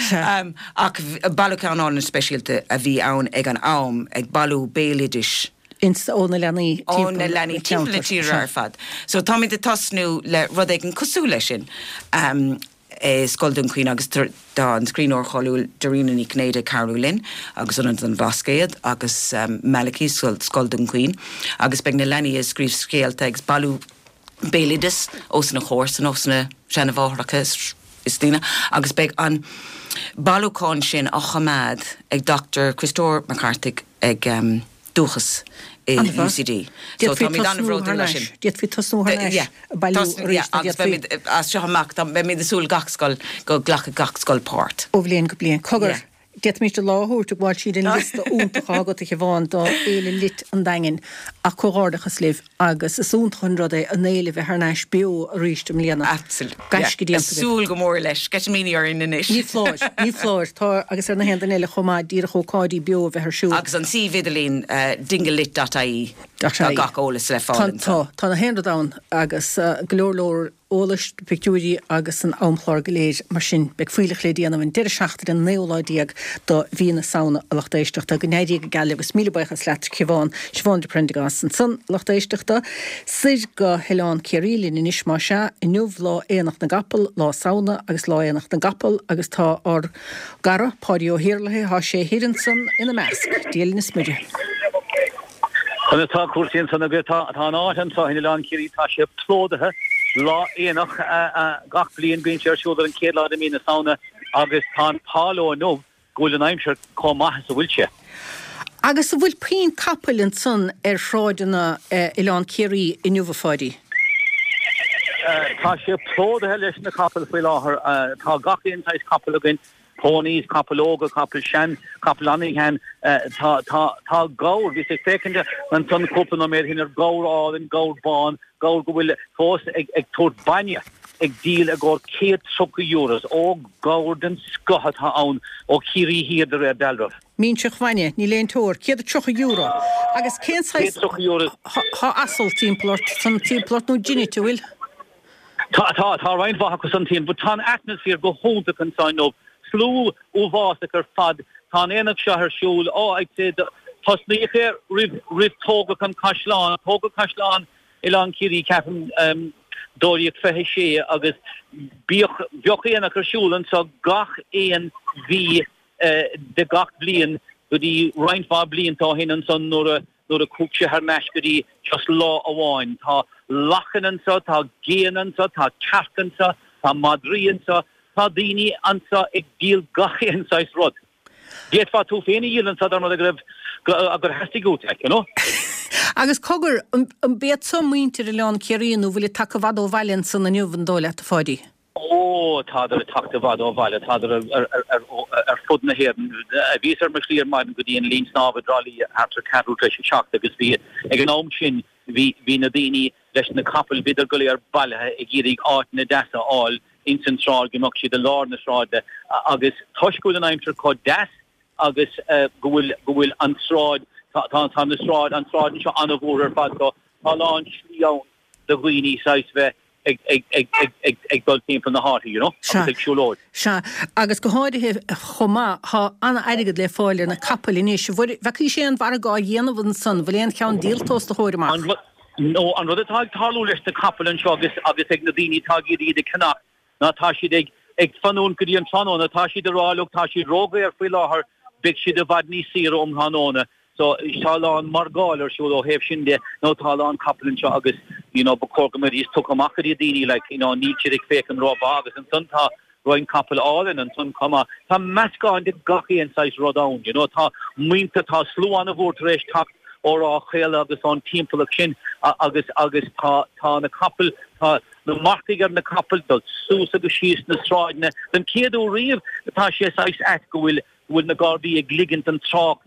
Sea. Ach bailiúchán álainn speisialta a bhí ann ag an am, ag bailiú béaloidis. Ins, ó na leanaí Ó timpeall na leanaí timpeall na tíre Sea. ar fad. So táimid ag tosnú le rud éigin cosúil leis sin. i Scoil Dún Chaoin agus tá an scríbhneoir cháiliúil Dairena Ní Chinnéide ag cabhrú linn agus Ionad an Bhlascaoid agus Malachy, Scoil Dún Chaoin agus beidh na leanaí ag scríobh scéalta agus bailiú béaloideas ós na comharsana, ós na seana-mháithreacha is daoine agus beidh an bailiúchán sin á choimeád ag Dr Criostóir Mac Cárthaigh ag Dúchas i UCD. So D'fhéadfaí táimid tosnú thar an-bhródúil as n-ais. sin. D'fhéadfaí tosnú thar n-ais Yeah. ag bailiú Tosnú, arís yeah, nó agus d'fhéadfaí. beimid as seo amach, tá, beimid ag súil gach scoil, go nglacfaidh gach scoil páirt. Ó bhliain go bliain. Cogar, Yeah. d'fhéadfaimis an lá a thabhairt ag gabháil tríd an liosta iontach atá agat a Shiobhán do Fhéile Lit an Daingin ach comhghairdeachas libh Agus is iontach an rud é an fhéile a bheith thar n-ais beo arís i mbliana. Absolutely. Gaisce Yeah. déanta agaibh. Súil go mór leis. Sceitimíní orainn anois. Ní foláir, ní foláir. Tá, agus ar na haon duine eile chomh maith, díreach ócáidí beo a bheith ar siúl. Agus an suíomh idirlín, dinglelit dot ie, Dot tá ie. gach eolas le fáil Tá, ansan. tá, tá na haon rud ann agus go leor leor. eolais, na pictiúirí agus an amchlár go léir. Mar sin, beidh fuílleach le déanamh an deireadh seachtaine an naoú lá déag do mhí na Samhna, a lucht éisteachta. Go n-éirí go geal libh agus míle buíochas leat, Siobhán, Siobhán de Prendergast ansan, a lucht éisteachta. Soir go hOileán Ciarraí linn anois, más ea. Inniu lá Aonach na gCapall, lá Samhna agus lá Aonach na gCapall agus tá ár gcara, Páidí Ó hIarlaithe, thá sé thoir ansan ina measc. Dia linn is Muire. Conas tá cúrsaí ansan agaibh? Tá an áit anso in Oileán Ciarraí, tá sé plódaithe. Lá aonach gach bliain, bíonn sé ar siúl ar an chéad lá de mí na Samhna agus tá an t-ádh leo inniu go bhfuil an aimsir chomh maith is a bhfuil sé. Agus an bhfuil puinn capaill ansan ar shráideanna Oileán Ciarraí inniu, a Pháidí? Tá sé plódaithe leis na capaill faoi láthair. Tá gach aon saghas capall againn, ponies, capaill óga, capaill sean, capaill an-shean. Tá, tá, tá gabhar, bhíos ag féachaint ansan cúpla nóiméad ó shin ar ghabhar álainn, gabhar bán, gabhar go bhfuil fós ag, ag tabhairt bainne, ag díol i gcomhair 130 euros. Ó, gabhar den scoth atá ann ó Chiarraí Thiar de réir dealraimh. Minseach bhainne, níl aon teoir, €130. Agus cén saghas, €130. Tá asal timpeall ort, san timpeall ort nó jennet, an bhfuil? Tá, tá, tá roinnt mhaith acu san timpeall, but tá an atmaisféar go hiontach anseo inniu. Slua uafásach ar fad. Tá an aonach seo ar siúl, oh, I'd say, tosnaíodh é roimh, roimh tógadh an caisleán, tógadh caisleán Oileán Ciarraí, ceapaim, 1226 agus bíodh, bheadh aonach ar siúl anseo gach aon mhí de gach bliain go dtí roinnt mhaith blianta ó shin ansan nuair a nuair a chuaigh sé thar n-ais go dtí just lá amháin. Tá lachain anso, tá géanna anso, tá cearca anso, tá madraí anso, tá daoine anso ag díol gach aon saghas rud. D'fhéadfá tú féin a dhíol anso dá mba rud é go raibh gur theastaigh uait, like, you know. Agus cogar, an b'iad seo muintir Oileán Ciarraí nó bhfuil siad tagtha i bhfad ó bhaile ansan inniu, an dóigh leat, a Pháidí? Ó, tádar ag teacht i bhfad ó bhaile, tádar ar fud na hÉireann. Bhíos ar mo shlí ar maidin go dtí an linn snámha i dTrá Lí thart ar ceathrú tar éis a seacht agus bhí, ag an am sin, bhí, bhí na daoine leis na capaill, bhíodar go léir bailithe ag iarraidh áiteanna deasa a fháil ins an tsráid, go mbeadh siad i lár na sráide agus toisc go bhfuil an aimsir chomh deas agus go bhfuil, go bhfuil an tsráid, tá, tá na sráid, an tsráid anseo an-mhór ar fad so tá a lán slí ann do dhaoine saghas bheith ag dul timpeall na háite, you know, agus ag siúlóid. Sea, agus go háirithe chomh maith, tá an-airgead le fáil ar na capaill anois. An bhfeacaís aon mhargadh á dhéanamh ansan? Bhfuil aon cheann díolta os do chomhair amach? No, an rud atá ag tarlú leis na capaill anseo agus agus ag na daoine atá ag iarraidh iad a cheannach ná tá siad ag ag fanúint go dtí an tráthnóna, tá siad ag rá look tá siad ródhaor faoi láthair, beidh siad i bhfad níos saoire um thráthnóna. So tá a lán margáil ar siúl ó thaobh sin de nó tá a lán capall anseo agus you know ba chóir go mbeidís tugtha amach go dtí daoine like you know níl siad ag féachaint rómhaith agus ansan tá roinnt capall álainn ansan chomh maith. Tá meascán de gach aon saghas rud ann you know tá muintir tá slua an-mhór tar éis teacht ó Ráth Chaola agus ón timpeallacht sin agus agus tá tá na capaill tá na marcaigh ar na capaill dul suas agus síos na sráideanna. Den chéad uair riamh tá sé saghas ait go bhfuil go bhfuil na Gardaí ag ligint an trácht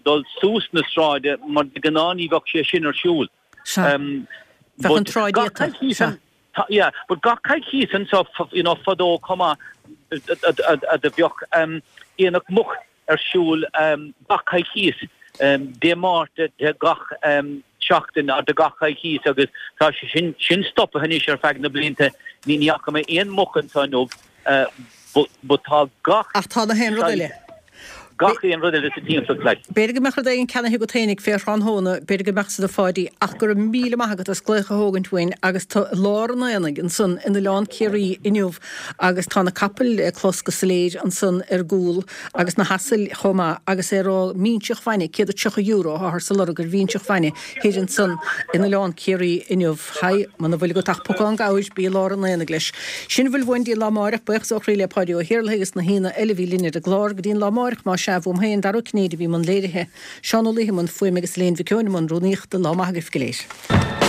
dul suas na sráide mar de ghnáth ní bheadh sé sin ar siúl. Sea. Bheadh an tsráid iata. Sea. Yeah, but gach coicíos anseo you know fadó chomh maith do bheadh aonach muc ar siúl gach coicíos, Dé Máirt de gach seachtain de gach coicíos agus tá sé sin sin stoptha anois ar feadh na blianta. Ní fhaca mé aon muc anseo inniu but tá gach Ach tá na haon rud eile. Gach aon rud eile sa timpeallacht like. B'fhéidir go mbeadh rud éigin ceannaithe agat féinig fé thráthnóna, b'fhéidir go mbeadh san a Pháidí, ach go raibh míle maith agat as glaoch a thógaint uainn agus tú i lár an aonaigh ansan in Oileán Ciarraí inniu agus tá na capaill le clos go soiléir ansan ar gcúl agus na hasail chomh maith agus é ag rá minseach bhainne, €130 atáthar ag lorg ar mhinseach bhainne thoir ansan in Oileán Ciarraí inniu. Haigh, muna bhfuil agat ach pocán gabhair, bí i lár an aonaigh leis. Sin a bhfuil uainn dtí an lá amáireach, buíochas ó chroí le Páidí Ó hIarlaithe agus na haíonna eile a bhí linn ar an gclár. Go dtí an lá amáireach, más ea, uaim féin, Dara Ó Cinnéide a bhí i mbun léirithe, Seán Ó Laoithe i mbun fuaime agus Elaine Mhic Eoin i mbun rúnaíochta. Lá maith agaibh go léir.